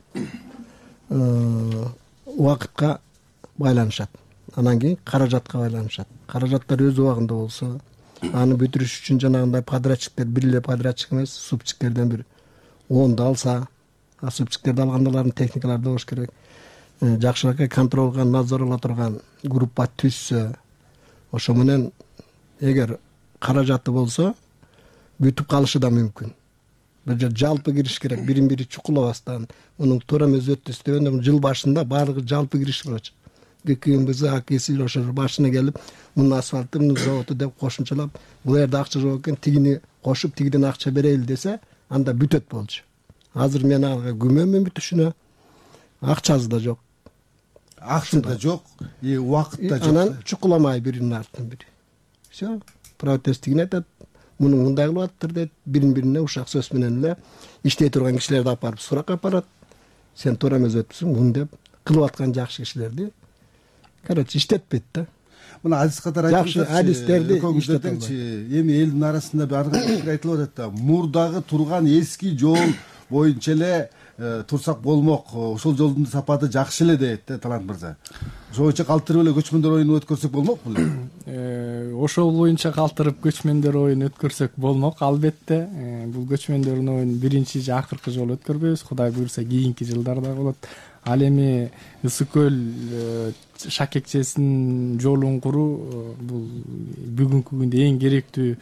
убакытка байланышат. Анан кийин каражатка байланышат. Каражаттар өз убагында болсо, аны бүтүрүш үчүн жанагындай подрядчиктер, бир эле подрядчик эмес, субчиктерден бир онду алса, а субчиктерди алгандалардын техникалары болуш керек. Жакшыраак контроль кылган, надзор ала турган группа түзсө, ошо менен эгер каражаты болсо, бүтүп калышы да мүмкүн. Бир жер жалпы кириш керек, бирин бири чукулабастан, мунун туура эмес өттү истебенде жыл башында баардыгы жалпы кириш болчу. ГКМБз, АКС ошо башына келип, мунун асфальты, мунун заводу деп кошумчалап, бул жерде акча жок экен, тигини кошуп, тигиден акча берели десе, анда бүтөт болчу. Азыр мен ага күмөнмүн бүтүшүнө. Акчасы да жок. Акча да жок, и убакыт да жок. Анан чукуламай биринин артынан бири. Всё, протесттигин айтат. Муну мындай кылып атыптыр дейт, бирин-бирине ушак сөз менен эле иштей турган кишилерди алып барып суракка апарат. Сен туура эмес өтүпсүң, муну деп кылып аткан жакшы кишилерди, короче, иштетпейт да. Мына адис катары жакшы адистерди иштетелчи. Эми элдин арасында ар кандай пикир айтылып атат да. Мурдагы турган эски жол боюнча эле турсак болмок, ошол жолдун сапаты жакшы эле дейт да Талант мырза. Ошол боюнча калтырып эле көчмөндөр оюну өткөрсөк болмок беле? Ошол боюнча калтырып көчмөндөр оюн өткөрсөк болмок, албетте. Бул көчмөндөрдүн оюн биринчи же акыркы жолу өткөрбөйбүз, Кудай буйрса кийинки жылдарда болот. Ал эми Ысык көл шакекчесинин жолун куруу бул бүгүнкү күндө эң керектүү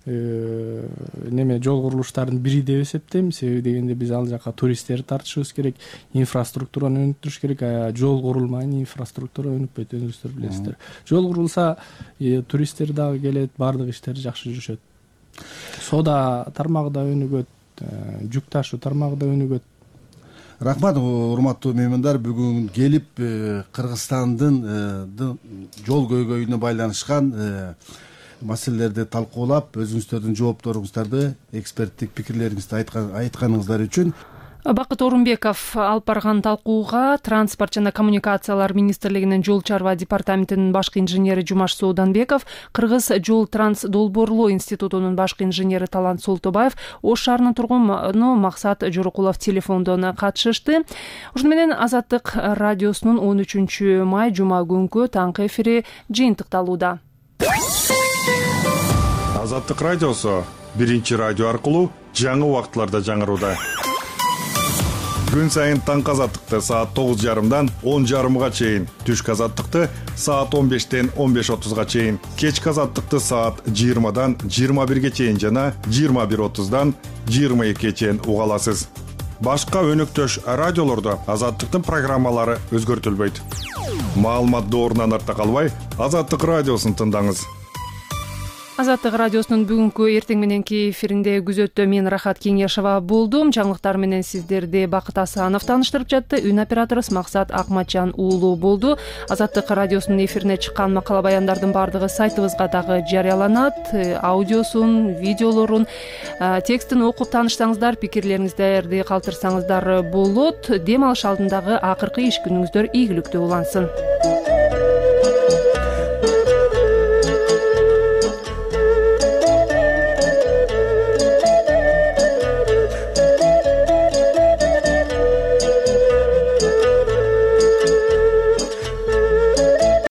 неме жол курулуштарынын бири деп эсептейм. Себеби дегенде биз ал жака туристтерди тартышыбыз керек, инфраструктураны өнүктүрүш керек. Жол курулмайын, инфраструктура өнүкпөйт, өзүңүздөр билесиздер. Жол курулса, туристтер дагы келет, баардык иштер жакшы жүрүшөт. Соода тармагы да өнүгөт, жүк ташуу тармагы да өнүгөт. рахмат урматтуу меймандар, бүгүн келип Кыргызстандын жол көйгөйүнө байланышкан маселелерди талкуулап, өзүңүздөрдүн жоопторуңуздарды, эксперттик пикирлериңизди айтканыңыздар үчүн Бакыт Орунбеков алып барган талкууга Транспорт жана коммуникациялар министрлигинин жол чарба департаментинин башкы инженери Жумаш Сооданбеков, Кыргыз жол транс долбоорлоо институтунун башкы инженери Талант Солтобаев, Ош шаарынын тургуну Максат Жорокулов телефондон катышышты. Ошону менен Азаттык радиосунун он үчүнчү май жума күнкү таңкы эфири жыйынтыкталууда. Азаттык радиосу биринчи радио аркылуу жаңы убакытларда жаңырууда. Күн сайын таңкы азаттыкты саат тогуз жарымдан он жарымга чейин, түшкү азаттыкты саат он бештен он беш отузга чейин, кечки азаттыкты саат жыйырмадан жыйырма бирге чейин жана жыйырма бир отуздан жыйырма экиге чейин уга аласыз. Башка өнөктөш радиолордо азаттыктын программалары өзгөртүлбөйт. Маалымат доорунан артта калбай, Азаттык радиосун тыңдаңыз. Азаттык радиосунун бүгүнкү эртең мененки эфиринде күзөттө мен Рахат Кеңешова болдум. Жаңылыктар менен сиздерди Бакыт Асанов тааныштырып жатты. Үн операторубуз Максат Акматжан уулу болду. Азаттык радиосунун эфирине чыккан макала баяндардын баардыгы сайтыбызга дагы жарыяланат. Аудиосун, видеолорун, текстин окуп тааныштаңыздар, пикирлериңиздерди калтырсаңыздар болот. Дем алыш алдындагы акыркы иш күнүңүздөр ийгиликтүү улансын.